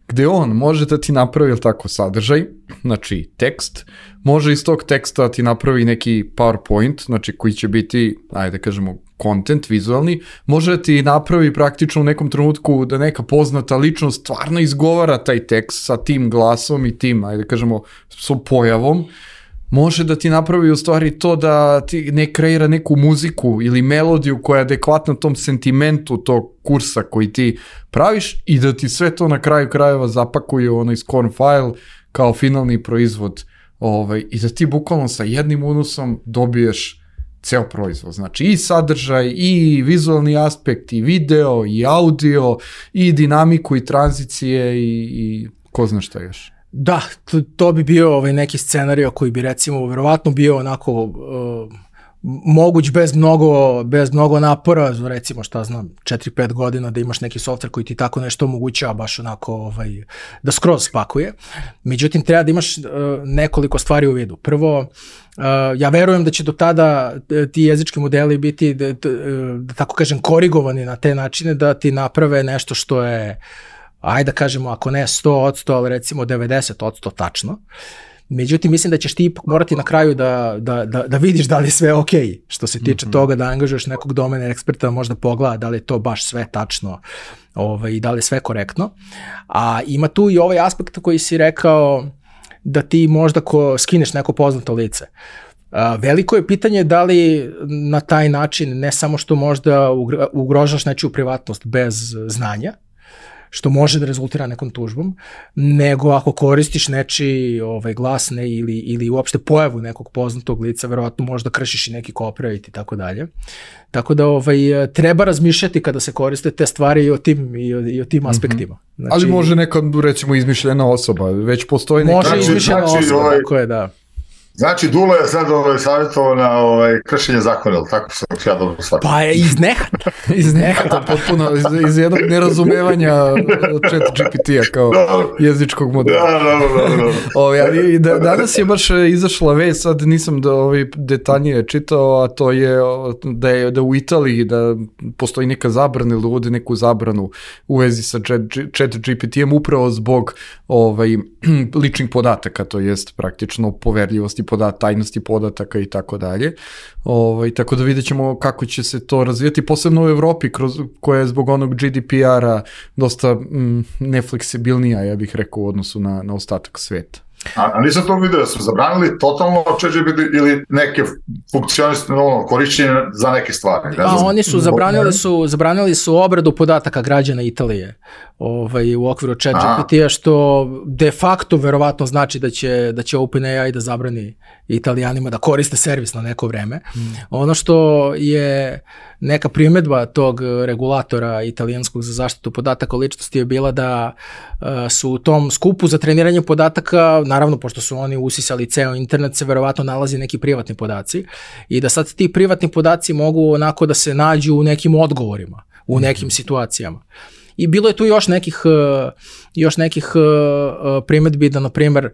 Gde on može da ti napravi tako sadržaj, znači tekst, može iz tog teksta ti napravi neki PowerPoint, znači koji će biti, ajde da kažemo, content, vizualni, može da ti napravi praktično u nekom trenutku da neka poznata ličnost stvarno izgovara taj tekst sa tim glasom i tim, ajde da kažemo, s pojavom, može da ti napravi u stvari to da ti ne kreira neku muziku ili melodiju koja je adekvatna tom sentimentu tog kursa koji ti praviš i da ti sve to na kraju krajeva zapakuje u onaj scorn file kao finalni proizvod i da ti bukvalno sa jednim unosom dobiješ ceo proizvod. Znači i sadržaj, i vizualni aspekt, i video, i audio, i dinamiku, i tranzicije, i ko zna šta još. Da, to bi bio neki scenario koji bi recimo verovatno bio onako moguć bez mnogo napora, recimo šta znam, 4-5 godina da imaš neki softver koji ti tako nešto omogućava baš onako da skroz spakuje. Međutim, treba da imaš nekoliko stvari u vidu. Prvo, ja verujem da će do tada ti jezički modeli biti, da tako kažem, korigovani na te načine da ti naprave nešto što je, ajde da kažemo, ako ne 100%, ali recimo 90% tačno. Međutim, mislim da ćeš ti ipak morati na kraju da vidiš da li je sve ok, što se tiče toga da angažuješ nekog domena eksperta, možda pogleda da li je to baš sve tačno i da li je sve korektno. A ima tu i ovaj aspekt koji si rekao da ti možda skineš neko poznato lice. Veliko je pitanje da li na taj način ne samo što možda ugrožaš nečiju privatnost bez znanja, što može da rezultira nekom tužbom, nego ako koristiš nečiji glasne ili uopšte pojavu nekog poznatog lica, verovatno možda kršiš i neki copyright i tako dalje. Tako da treba razmišljati kada se koriste te stvari i o tim aspektima. Znači, ali može neka, recimo, izmišljena osoba, već postoji neka... Može izmišljena osoba, tako je, da. Znači, Dula je sad savjetovao na kršenje zakona, ali tako sam ja dobro shvatio. Pa je iz nehata. Iz nehata, potpuno, iz jednog nerazumevanja ChatGPT-a kao jezičkog modela. Da. Danas je baš izašla vest, sad nisam detaljnije čitao, a to je da u Italiji da postoji neka zabrana ili uvode neku zabranu u vezi sa ChatGPT-em upravo zbog ličnih podataka, to jest praktično poverljivosti tajnosti podataka i tako dalje. Tako da vidjet ćemo kako će se to razvijati, posebno u Evropi koja je zbog onog GDPR-a dosta nefleksibilnija, ja bih rekao, u odnosu na ostatak sveta. A nisam to vidio, su zabranili totalno ChatGPT ili neke funkcioniste korišćenje za neke stvari? Oni su zabranili su obradu podataka građana Italije u okviru ChatGPT-a, što de facto verovatno znači da će OpenAI da zabrani Italijanima da koriste servis na neko vreme. Ono što je neka primedba tog regulatora italijanskog za zaštitu podataka o ličnosti je bila da su u tom skupu za treniranje podataka, naravno pošto su oni usisali ceo internet, se verovatno nalazi neki privatni podaci i da sad ti privatni podaci mogu onako da se nađu u nekim odgovorima, u nekim situacijama. I bilo je tu još nekih primedbi da, na primjer,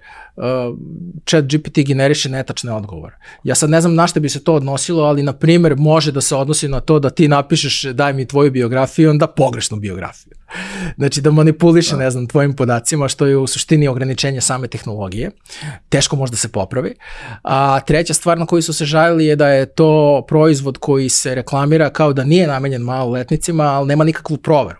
ChatGPT generiše netačne odgovore. Ja sad ne znam na što bi se to odnosilo, ali, na primjer, može da se odnosi na to da ti napišeš daj mi tvoju biografiju, onda pogrešnu biografiju. Znači da manipuliše, ne znam, tvojim podacima, što je u suštini ograničenje same tehnologije. Teško možda se popravi. A treća stvar na koju su se žalili je da je to proizvod koji se reklamira kao da nije namenjen maloletnicima, ali nema nikakvu proveru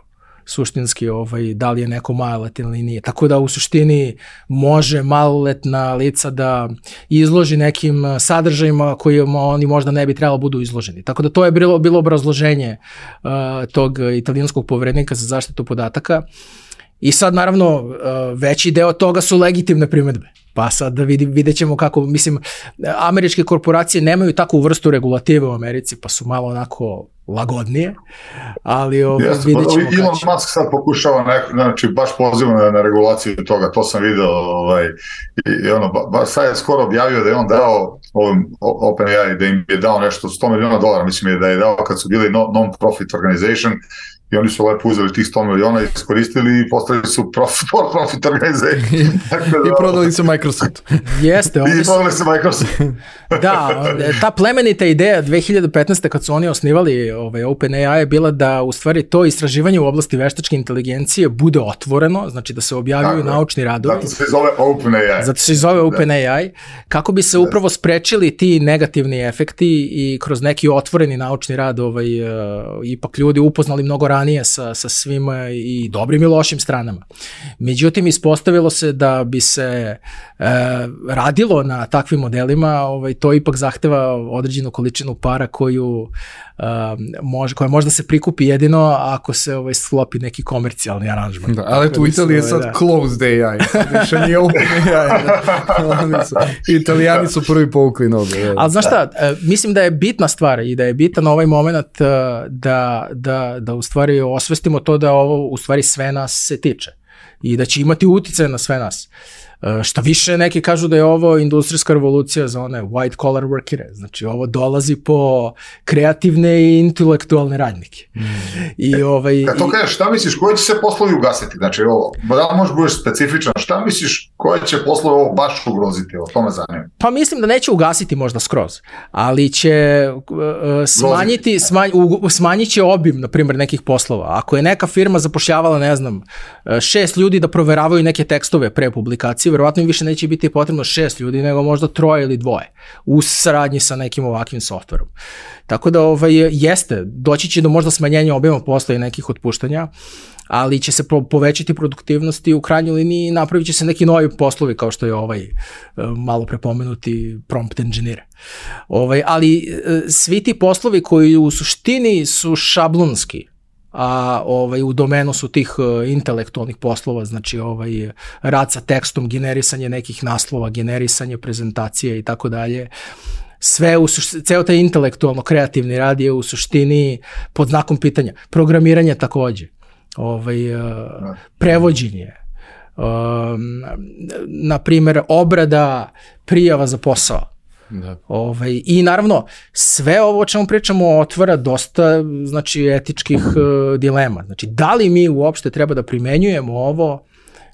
suštinski da li je neko maloletan ili nije. Tako da u suštini može maloletna lica da izloži nekim sadržajima kojima oni možda ne bi trebalo budu izloženi. Tako da to je bilo obrazloženje tog italijanskog poverenika za zaštitu podataka. I sad, naravno, veći deo toga su legitimne primedbe. Pa sad da vidjet ćemo kako, mislim, američke korporacije nemaju takvu vrstu regulative u Americi, pa su malo onako lagodnije, ali vidjet ćemo. Elon Musk sad pokušava, znači baš poziva na regulaciju toga, to sam vidio, i sad je skoro objavio da je on dao OpenAI, da im je dao nešto $100 miliona, mislim da je dao kad su bili non-profit organization, i oni su lepo uzeli tih 100 miliona, iskoristili i postali su profit organization. I prodali su Microsoft. Jeste. I prodali su Microsoft. Da, ta plemenita ideja 2015. kad su oni osnivali OpenAI je bila da u stvari to istraživanje u oblasti veštačke inteligencije bude otvoreno, znači da se objavljuju naučni radovi. Zato se zove OpenAI. Zato se zove OpenAI, kako bi se upravo sprečili ti negativni efekti i kroz neki otvoreni naučni rad ipak ljudi upoznali mnogo ranije sa svima i dobrim i lošim stranama. Međutim, ispostavilo se da bi se radilo na takvim modelima, to ipak zahteva određenu količinu para koja možda se prikupi jedino ako se sklopi neki komercijalni aranžman. Da, ali tu u Italiji je sad closed AI, više nije open AI. Italijani su prvi povukli noge. Ali znaš šta, mislim da je bitna stvar i da je bitan ovaj moment da u stvari osvestimo to da ovo u stvari sve nas se tiče i da će imati uticaj na sve nas. Šta više, neki kažu da je ovo industrijska revolucija za one white collar workere, znači ovo dolazi po kreativne i intelektualne radnike. Kad to kažeš, šta misliš, koji će se poslovi ugasiti? Znači, da možeš budeš specifičan, šta misliš, koji će poslovi ovo baš ugroziti? O tome zanima. Pa mislim da neće ugasiti možda skroz, ali će smanjit će obim, na primjer, nekih poslova. Ako je neka firma zapošljavala, ne znam, 6 ljudi da proveravaju neke tekstove pre publikacije, verovatno im više neće biti potrebno 6 ljudi, nego možda 3 ili 2 u saradnji sa nekim ovakvim softverom. Tako da jeste, doći će do možda smanjenja obima posla i nekih otpuštanja, ali će se povećati produktivnost i u krajnjoj liniji napravit će se neki novi poslovi kao što je malo prepomenuti prompt engineer. Ali svi ti poslovi koji u suštini su šablonski, a u domenu su tih intelektualnih poslova, znači rad sa tekstom, generisanje nekih naslova, generisanje prezentacije i tako dalje, ceo taj intelektualno kreativni rad je u suštini pod znakom pitanja. Programiranje takođe, prevođenje, na primjer obrada prijava za posao. Da. I naravno sve ovo o čemu pričamo otvara dosta etičkih dilema. Znači da li mi uopšte treba da primenjujemo ovo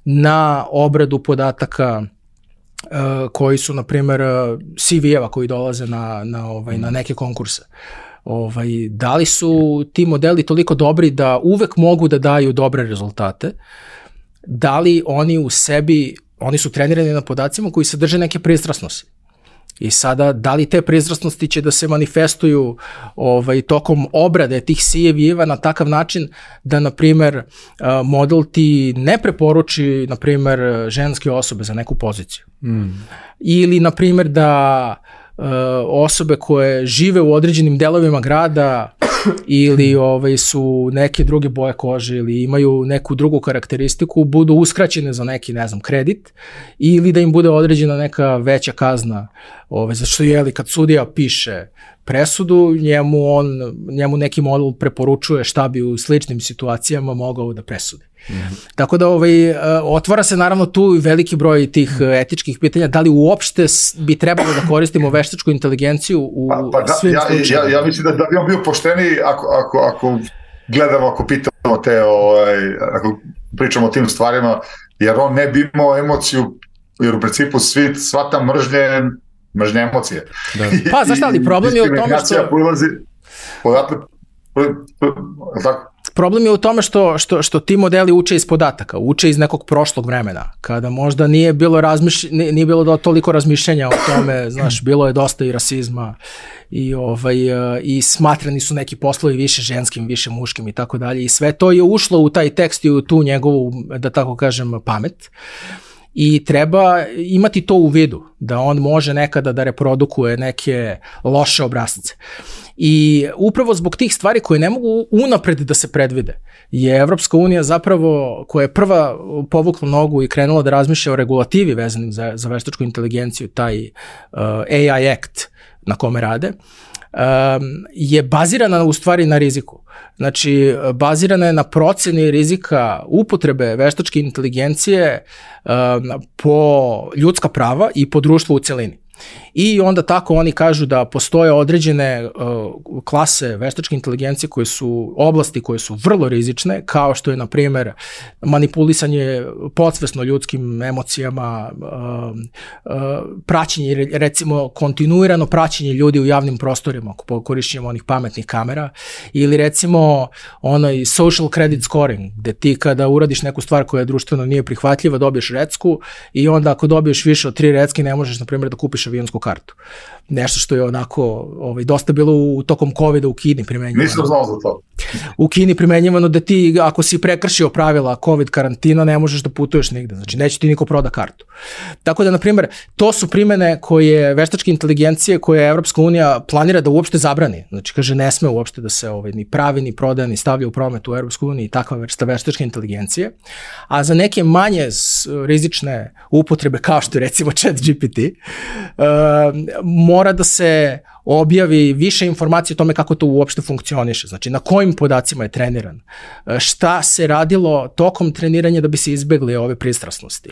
na obradu podataka koji su na primjer CV-eva koji dolaze na neke konkurse. Da li su ti modeli toliko dobri da uvek mogu da daju dobre rezultate? Da li oni u sebi, oni su trenirani na podacima koji sadrže neke pristrasnosti? I sada, da li te pristrasnosti će da se manifestuju tokom obrade tih CV-eva na takav način da, na primjer, model ti ne preporuči, na primjer, ženske osobe za neku poziciju. Ili, na primjer, da osobe koje žive u određenim delovima grada ili su neke druge boje kože ili imaju neku drugu karakteristiku, budu uskraćene za neki, ne znam, kredit ili da im bude određena neka veća kazna. Zašto kad sudija piše presudu, njemu neki model preporučuje šta bi u sličnim situacijama mogao da presudi. Tako da otvara se naravno tu veliki broj tih etičkih pitanja, da li uopšte bi trebalo da koristimo veštačku inteligenciju u svim slučajima. Ja mislim da bi on bio pošteniji ako gledamo, ako pitamo ako pričamo o tim stvarima, jer on ne bi imao emociju, jer u principu sva ta mržnja emocije. Da. Pa znaš šta, ali problem je u tome što... Problem je u tome što ti modeli uče iz podataka, uče iz nekog prošlog vremena, kada možda nije bilo toliko razmišljanja o tome, znaš, bilo je dosta i rasizma i smatrani su neki poslovi više ženskim, više muškim i tako dalje i sve to je ušlo u taj tekst i u tu njegovu, da tako kažem, pamet. I treba imati to u vidu, da on može nekada da reprodukuje neke loše obrasce. I upravo zbog tih stvari koje ne mogu unapred da se predvide, je Evropska unija zapravo, koja je prva povukla nogu i krenula da razmišlja o regulativi vezanim za veštačku inteligenciju, taj AI Act na kome rade, je bazirana u stvari na riziku. Znači, bazirana je na proceni rizika upotrebe veštačke inteligencije po ljudska prava i po društvu u celini. I onda tako oni kažu da postoje određene klase veštačke inteligencije koje su oblasti koje su vrlo rizične, kao što je, na primjer, manipulisanje podsvesno ljudskim emocijama, praćenje, recimo kontinuirano praćenje ljudi u javnim prostorima korišćenjem onih pametnih kamera, ili recimo onaj social credit scoring, gde ti kada uradiš neku stvar koja društveno nije prihvatljiva, dobiješ recku i onda ako dobiješ više od 3 recke ne možeš, na primjer, da kupiš avionsku kartu. Nešto što je onako dosta bilo tokom COVID-a u Kini primenjivano. Nisam znao za to. U Kini primenjivano da ti, ako si prekršio pravila COVID karantina, ne možeš da putuješ nigde. Znači, neće ti niko proda kartu. Tako da, na primjer, to su primene koje veštačke inteligencije koje Evropska unija planira da uopšte zabrani. Znači, kaže, ne sme uopšte da se ni pravi, ni prodaje, ni stavlja u promet u Evropskoj uniji takva vrsta veštačke inteligencije. A za neke manje rizične upotrebe, kao što je recimo ChatGPT, mora da se objavi više informacije o tome kako to uopšte funkcioniše, znači na kojim podacima je treniran, šta se radilo tokom treniranja da bi se izbegli ove pristrasnosti.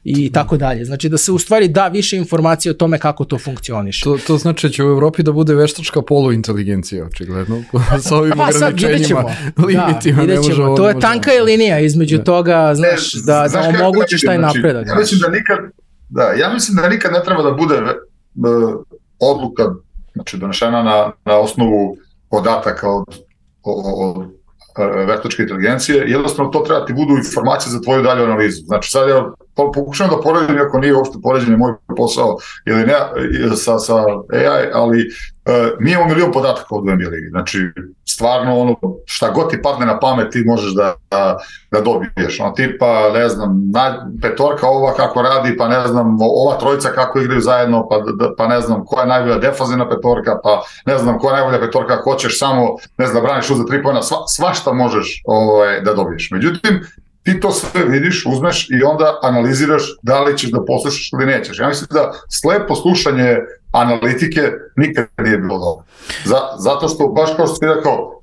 i tako dalje. Znači da se u stvari da više informacije o tome kako to funkcioniše. To znači će u Evropi da bude veštačka poluinteligencija, očigledno, sa ovim ograničenjima, limitima. Ne možemo, to je tanka je linija između toga, znaš, da omogućiš taj napredak. Ja mislim da nikad ne treba da bude odluka, znači donešena na osnovu podataka od veštačke inteligencije, jednostavno to treba ti budu informacije za tvoju dalju analizu. Znači sad ja pokušam da poredim, ako nije uopšte poređenje moj posao ili ne sa AI, ali mi imamo milion podataka od NBA ligi. Znači stvarno ono šta god ti padne na pamet ti možeš da dobiješ. Ono tipa, ne znam, petorka ova kako radi, pa ne znam, ova trojica kako igraju zajedno, pa ne znam koja je najbolja defazivna petorka, pa ne znam koja je najbolja petorka, hoćeš samo, ne znam, braniš za 3 poena, svašta možeš da dobiješ. Međutim, ti to sve vidiš, uzmeš i onda analiziraš da li ćeš da poslušaš ili nećeš. Ja mislim da slepo slušanje analitike nikad nije bilo dobro. Zato što, baš kao što ti rekao,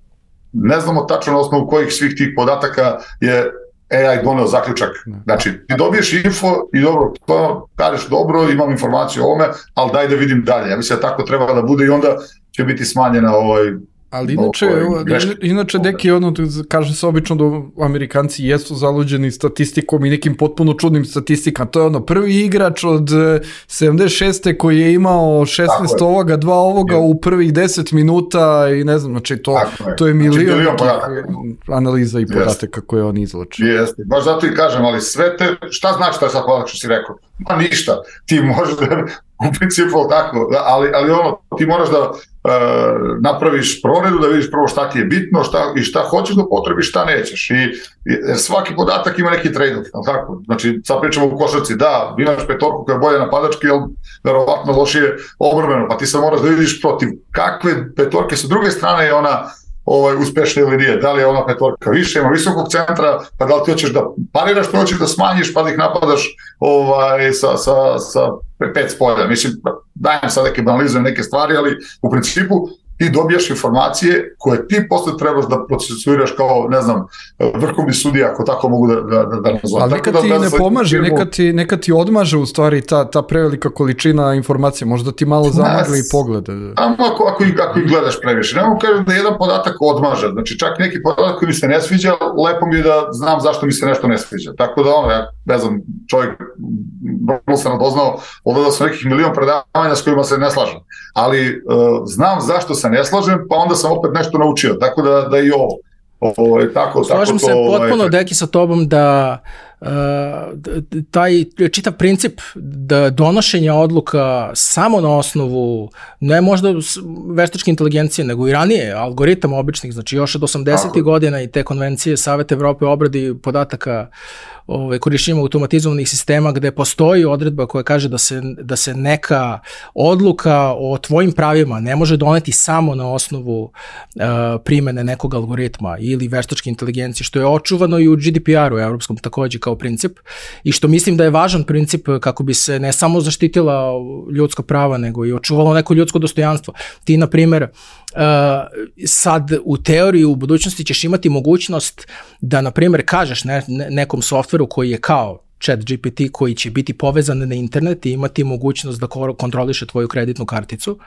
ne znamo tačno na osnovu kojih svih tih podataka je AI doneo zaključak. Znači, ti dobiješ info i dobro, to kažeš dobro, imam informaciju o ovome, ali daj da vidim dalje. Ja mislim da tako treba da bude i onda će biti smanjena Ali inače neki kaže se obično da Amerikanci jesu zaluđeni statistikom i nekim potpuno čudnim statistikama. To je prvi igrač od 76. koji je imao 16 ovoga, 2 ovoga u prvih 10 minuta i ne znam, znači to je milion analiza i podataka koje on izlači. Jeste, baš zato i kažem, ali sve te, šta znači to je sad podatak što si rekao? Ma ništa, ti možeš da, u principu tako, ali ti moraš da napraviš proredu, da vidiš prvo šta ti je bitno i šta hoćeš da potrebiš, šta nećeš. I svaki podatak ima neki trade-off. Tako? Znači, sad pričamo u košarci, da, imaš petorku koja je bolje napadački, ali verovatno lošije obrambeno, pa ti sad moraš da vidiš protiv kakve petorke sa druge strane je ona uspešna ili nije. Da li je ona petorka više, ima visokog centra, pa da li ti hoćeš da pariraš, pa hoćeš da smanjiš, pa da ih napadaš sa 5 spolja. Mislim, dajem sad neke banalizujem neke stvari, ali u principu ti dobijaš informacije koje ti posle trebaš da procesuiraš kao, ne znam, vrhovni sudija, ako tako mogu da nazovem. Ali nekad ti ne pomaže, nekad ti odmaže u stvari ta prevelika količina informacija, možda ti malo zamagli i poglede. Ako ih gledaš previše. Ne mogu kažem da jedan podatak odmaže, znači čak neki podatak koji mi se ne sviđa, lepo mi je da znam zašto mi se nešto ne sviđa. Tako da ja ne znam, čovjek vrlo sam nadoznao, odgledao sam nekih milion predavanja s kojima se ne slažem. Ali znam zašto se ne slažem, pa onda sam opet nešto naučio, tako da i ovo je tako. Slažem se potpuno, Deki, sa tobom da taj čitav princip da donošenja odluka samo na osnovu, ne možda veštačke inteligencije, nego i ranije, algoritama običnih, znači još od 80. godina i te konvencije Saveta Evrope o obradi podataka korišćenjem automatizovanih sistema gde postoji odredba koja kaže da se neka odluka o tvojim pravima ne može doneti samo na osnovu primene nekog algoritma ili veštačke inteligencije, što je očuvano i u GDPR-u evropskom takođe kao princip i što mislim da je važan princip kako bi se ne samo zaštitila ljudska prava, nego i očuvalo neko ljudsko dostojanstvo. Ti, na primer, sad u teoriji u budućnosti ćeš imati mogućnost da, na primjer, kažeš nekom softveru koji je kao ChatGPT, koji će biti povezan na internet i imati mogućnost da kontroliše tvoju kreditnu karticu,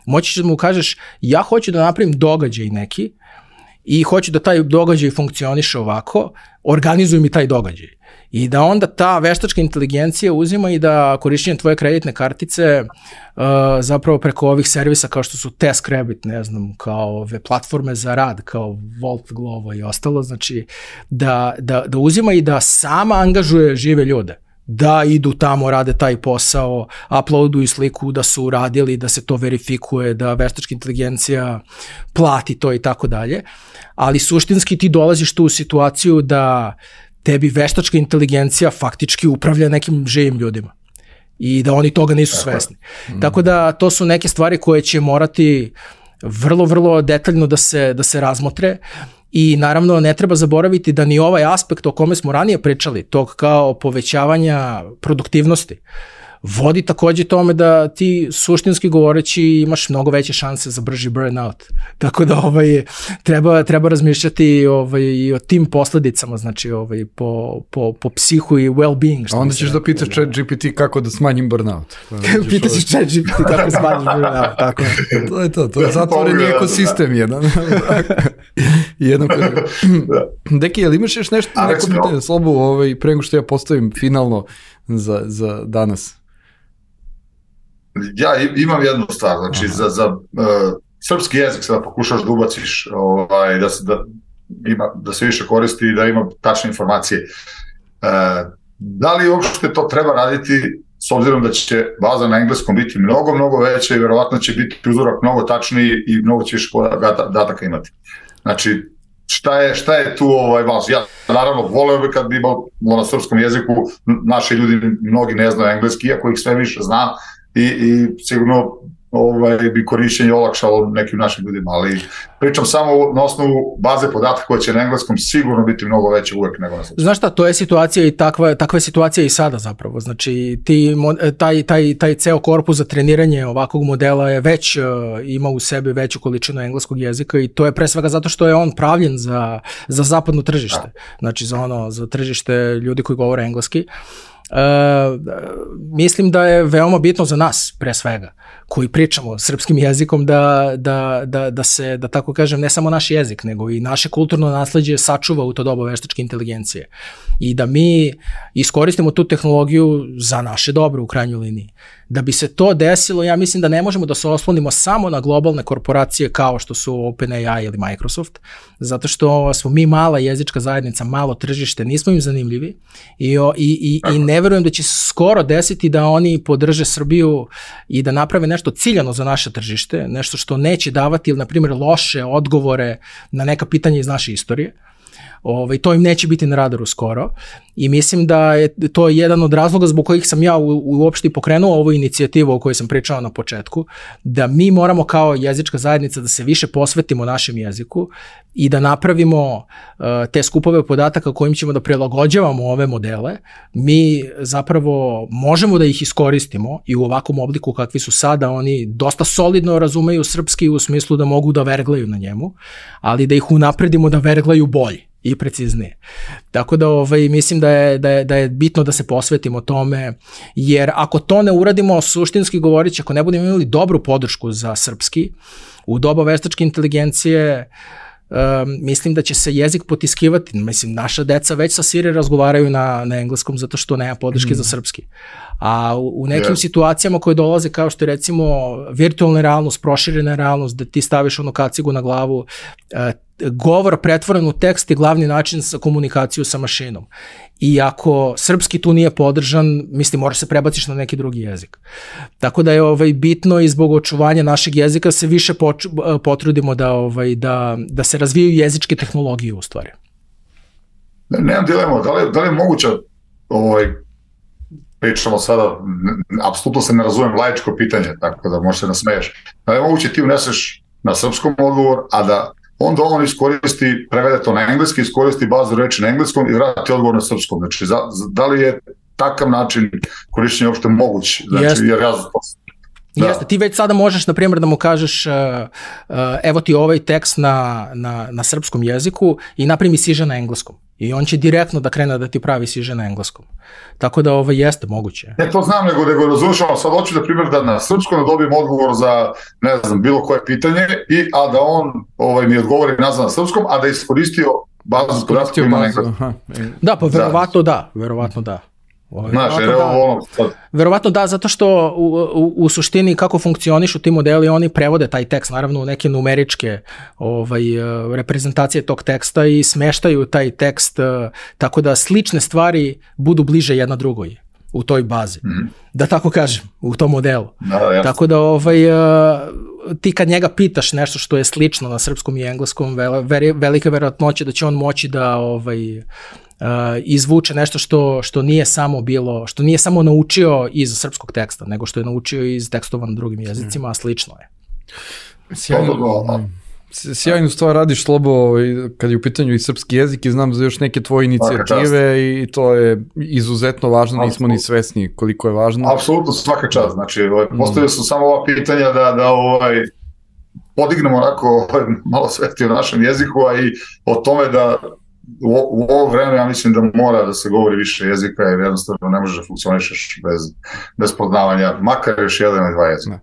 moći ćeš da mu kažeš, ja hoću da napravim događaj neki i hoću da taj događaj funkcioniše ovako, organizuj mi taj događaj. I da onda ta veštačka inteligencija uzima i da korišćenjem tvoje kreditne kartice zapravo preko ovih servisa kao što su TaskRabbit, ne znam, kao ove platforme za rad, kao Volt, Glovo i ostalo, znači da uzima i da sama angažuje žive ljude, da idu tamo, rade taj posao, uploaduju sliku da su uradili, da se to verifikuje, da veštačka inteligencija plati to i tako dalje, ali suštinski ti dolaziš tu u situaciju da tebi veštačka inteligencija faktički upravlja nekim živim ljudima i da oni toga nisu svesni. Tako da to su neke stvari koje će morati vrlo, vrlo detaljno da se razmotre i naravno ne treba zaboraviti da ni ovaj aspekt o kome smo ranije pričali, tog kao povećavanja produktivnosti, vodi takođe tome da ti suštinski govoreći imaš mnogo veće šanse za brži burnout. Tako da treba razmišljati i o tim posledicama, znači po psihu i well-being. A onda ćeš da pitaš ChatGPT kako da smanjim burnout. Pitaš ChatGPT kako da smanjim burnout, tako je. To je zatvoreni ekosistem jedan. Deki, ali imaš još nešto, neko pitanje, Slobu, pre nego što ja postavim finalno za danas? Ja imam jednu stvar, znači za srpski jezik sada pokušaš da ubaciš, da se više koristi i da ima tačne informacije. Da li uopšte to treba raditi s obzirom da će baza na engleskom biti mnogo veća i verovatno će biti uzorak mnogo tačniji i mnogo će više podataka imati. Znači, šta je tu važno? Ja naravno voleo bi kad bi imao na srpskom jeziku, naši ljudi mnogi ne znaju engleski, iako ih sve više zna i sigurno bi korišćenje olakšalo nekim našim ljudima, ali pričam samo na osnovu baze podataka koja će na engleskom sigurno biti mnogo veće uvek nego na srpskom. Znaš šta, to je situacija i takva je situacija i sada zapravo, znači taj ceo korpus za treniranje ovakvog modela je već ima u sebi veću količinu engleskog jezika i to je pre svega zato što je on pravljen za zapadno tržište, znači za tržište ljudi koji govore engleski. Mislim da je veoma bitno za nas, pre svega, koji pričamo srpskim jezikom, da se, da tako kažem, ne samo naš jezik, nego i naše kulturno nasleđe sačuva u to doba veštačke inteligencije i da mi iskoristimo tu tehnologiju za naše dobro u krajnjoj liniji. Da bi se to desilo, ja mislim da ne možemo da se oslonimo samo na globalne korporacije kao što su OpenAI ili Microsoft, zato što smo mi mala jezička zajednica, malo tržište, nismo im zanimljivi i ne verujem da će se skoro desiti da oni podrže Srbiju i da naprave nešto ciljano za naše tržište, nešto što neće davati ili, na primjer, loše odgovore na neka pitanja iz naše istorije. To im neće biti na radaru skoro i mislim da je to jedan od razloga zbog kojih sam ja uopšte pokrenuo ovu inicijativu o kojoj sam pričao na početku, da mi moramo kao jezička zajednica da se više posvetimo našem jeziku i da napravimo te skupove podataka kojim ćemo da prilagođavamo ove modele. Mi zapravo možemo da ih iskoristimo i u ovakvom obliku kakvi su sada, oni dosta solidno razumeju srpski u smislu da mogu da verglaju na njemu, ali da ih unapredimo da verglaju bolje i preciznije. Tako da mislim da je bitno da se posvetimo tome, jer ako to ne uradimo suštinski govoreći, ako ne budemo imali dobru podršku za srpski, u doba veštačke inteligencije, mislim da će se jezik potiskivati. Mislim, naša deca već sa Siri razgovaraju na engleskom zato što nema podrške za srpski. A u nekim situacijama koje dolaze kao što je recimo virtualna realnost, proširena realnost, da ti staviš onu kacigu na glavu, govor pretvoren u tekst je glavni način za komunikaciju sa mašinom. I ako srpski tu nije podržan, mislim, moraš se prebaciš na neki drugi jezik. Tako da je bitno i zbog očuvanja našeg jezika se više potrudimo da se razvijaju jezičke tehnologije u stvari. Nemam dilemu, da li je moguće, pričamo sada, apsolutno se ne razumem laičko pitanje, tako da možeš se nasmeješ. Da li je moguće ti uneseš na srpskom odgovor, a da onda on iskoristi, prevede to na engleski, iskoristi bazu reči na engleskom i vrati odgovor na srpskom. Znači, da li je takav način korišćenja uopšte moguć? Znači, jer ja... Jeste, ti već sada možeš, na primjer, da mu kažeš evo ti ovaj tekst na srpskom jeziku i naprimi siže na engleskom. I on će direktno da krene da ti pravi siže na engleskom. Tako da jeste moguće. Ne, to znam, nego razumijemo, sad hoću da primjer da na srpskom da dobijem odgovor za, ne znam, bilo koje pitanje, a da on mi odgovori nazad na srpskom, a da iskoristio bazu podataka ima na engleskom. Da, pa verovatno da. Znaš, Verovatno da, zato što u suštini kako funkcionišu ti modeli, oni prevode taj tekst naravno u neke numeričke reprezentacije tog teksta i smeštaju taj tekst tako da slične stvari budu bliže jedna drugoj u toj bazi, da tako kažem, u tom modelu. Tako da ti kad njega pitaš nešto što je slično na srpskom i engleskom, velika verovatnoća da će on moći da izvuče nešto što nije samo bilo, što nije samo naučio iz srpskog teksta, sjajnu stvar radiš, Slobo, kad je u pitanju i srpski jezik i znam za još neke tvoje inicijative i to je izuzetno važno, nismo ni svesni koliko je važno. Apsolutno, svaka čast. Znači, postavio sam samo ova pitanja da podignemo onako malo svesti o našem jeziku, a i o tome da u ovo vreme ja mislim da mora da se govori više jezika, jer jednostavno ne možeš da funkcionišeš bez poznavanja, makar još jedan ili dva jezika.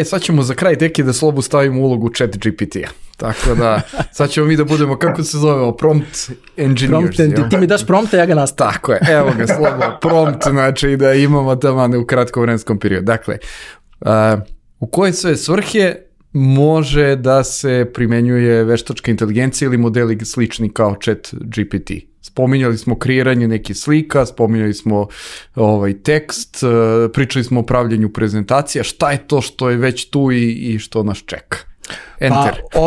Sad ćemo za kraj deki da Slobu stavimo ulogu chat GPT-a. Tako da, sad ćemo mi da budemo, kako se zove, prompt engineers. Ti mi daš prompta, ja ga nastavim. Tako je, evo ga Slobo, prompt, znači da imamo tamo u kratkom vremenskom periodu. Dakle, u koje sve svrhe može da se primenjuje veštačka inteligencija ili modeli slični kao chat GPT. Spominjali smo kreiranje nekih slika, spominjali smo tekst, pričali smo o pravljenju prezentacija. Šta je to što je već tu i što nas čeka? Enter. Pa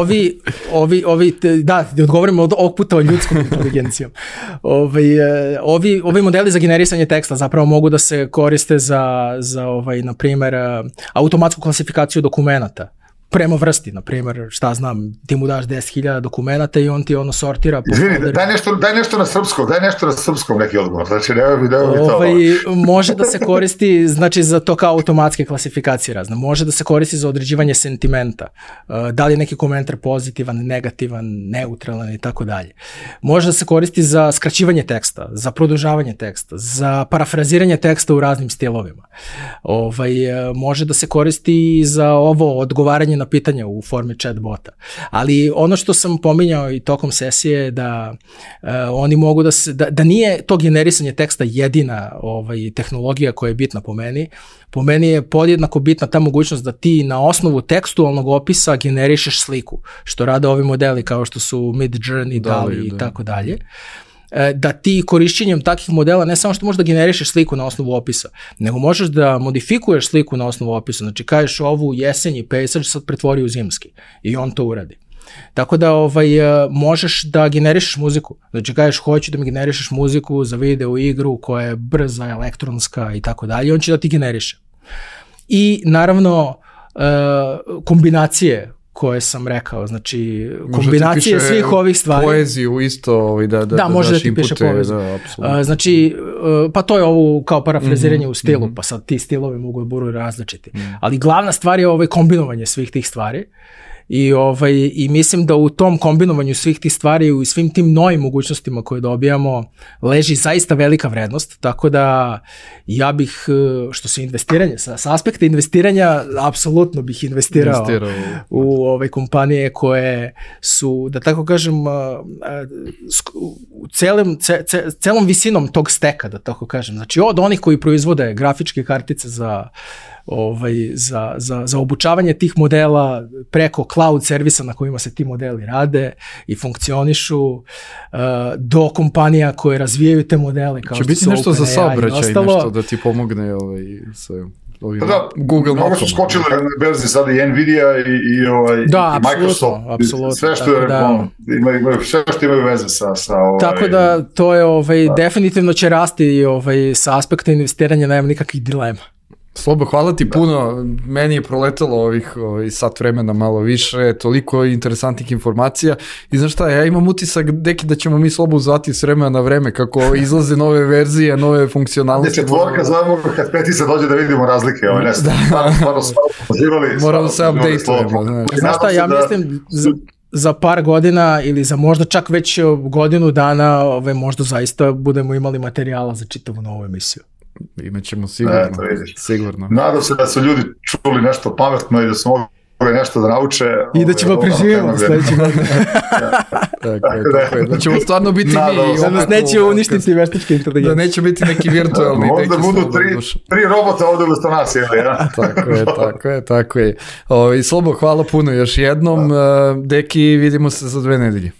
da odgovorimo od ovog puta o ljudskom inteligencijom. Ovi modeli za generisanje teksta zapravo mogu da se koriste za na primjer, automatsku klasifikaciju dokumenata. Prema vrsti, na primjer, šta znam, ti mu daš 10.000 dokumenata i on ti sortira. Izvini, daj nešto na srpskom neki odgovor, znači ne bi to. Može da se koristi, znači za to kao automatske klasifikacije razne, može da se koristi za određivanje sentimenta, da li je neki komentar pozitivan, negativan, neutralan i tako dalje. Može da se koristi za skraćivanje teksta, za produžavanje teksta, za parafraziranje teksta u raznim stilovima. Može da se koristi i za ovo odgovaranje na pitanja u formi chatbota. Ali ono što sam pominjao i tokom sesije je da oni mogu da nije to generisanje teksta jedina tehnologija koja je bitna po meni. Po meni je podjednako bitna ta mogućnost da ti na osnovu tekstualnog opisa generišeš sliku, što rade ovi modeli kao što su Midjourney, DALL-E i tako dalje. Da ti korišćenjem takvih modela ne samo što možeš da generišeš sliku na osnovu opisa, nego možeš da modifikuješ sliku na osnovu opisa. Znači kažeš ovu jesenji pejsaž sad pretvori u zimski i on to uradi. Tako da možeš da generišeš muziku. Znači kažeš hoću da mi generišeš muziku za video igru koja je brza, elektronska i tako dalje. On će da ti generiše. I naravno kombinacije koje sam rekao, znači kombinacije svih ovih stvari. Poeziju isto, da može da ti piše poeziju. Znači, pa to je ovo kao parafraziranje u stilu, pa sad ti stilovi mogu da budu različiti. Ali glavna stvar je kombinovanje svih tih stvari. I mislim da u tom kombinovanju svih tih stvari i svim tim novim mogućnostima koje dobijamo leži zaista velika vrednost, tako da ja bih, što se investiranje, sa aspekta investiranja, apsolutno bih investirao u ove kompanije koje su, da tako kažem, celom visinom tog steka, da tako kažem. Znači od onih koji proizvode grafičke kartice za obučavanje tih modela preko cloud servisa na kojima se ti modeli rade i funkcionišu, do kompanija koje razvijaju te modele kao što su OpenAI i ostalo. Će biti nešto za saobraćaj, nešto da ti pomogne sa Google Mapom. Mnogo su skočile na berzi sada i Nvidia i Microsoft. Apsolutno. Sve što je sve što imaju veze sa Tako da to je definitivno će rasti sa aspekta investiranja, nema nikakvih dilema. Slobo, hvala ti puno, meni je proletalo ovih sat vremena malo više, toliko interesantnih informacija i znaš šta, ja imam utisak deki da ćemo mi Slobu zvati s vremena na vreme kako izlaze nove verzije, nove funkcionalnosti. Četvorka zovemo kad petica dođe da vidimo razlike, moramo se update-ujemo. Znaš šta, ja mislim za par godina ili za možda čak već godinu dana možda zaista budemo imali materijala za čitavu novu emisiju. Imaćemo sigurno. Nadam se da su ljudi čuli nešto pametno i da su mogli nešto da nauče. I da ćemo preživjeti sljedeći godin. Tako je. Da ćemo stvarno biti mi. Da nas neće uništiti veštačka inteligencija. Da neće biti neki virtualni. Možda budu tri robota ovdje umesto nas. Tako je. I Slobo, hvala puno još jednom. Deki, vidimo se za 2 nedelje.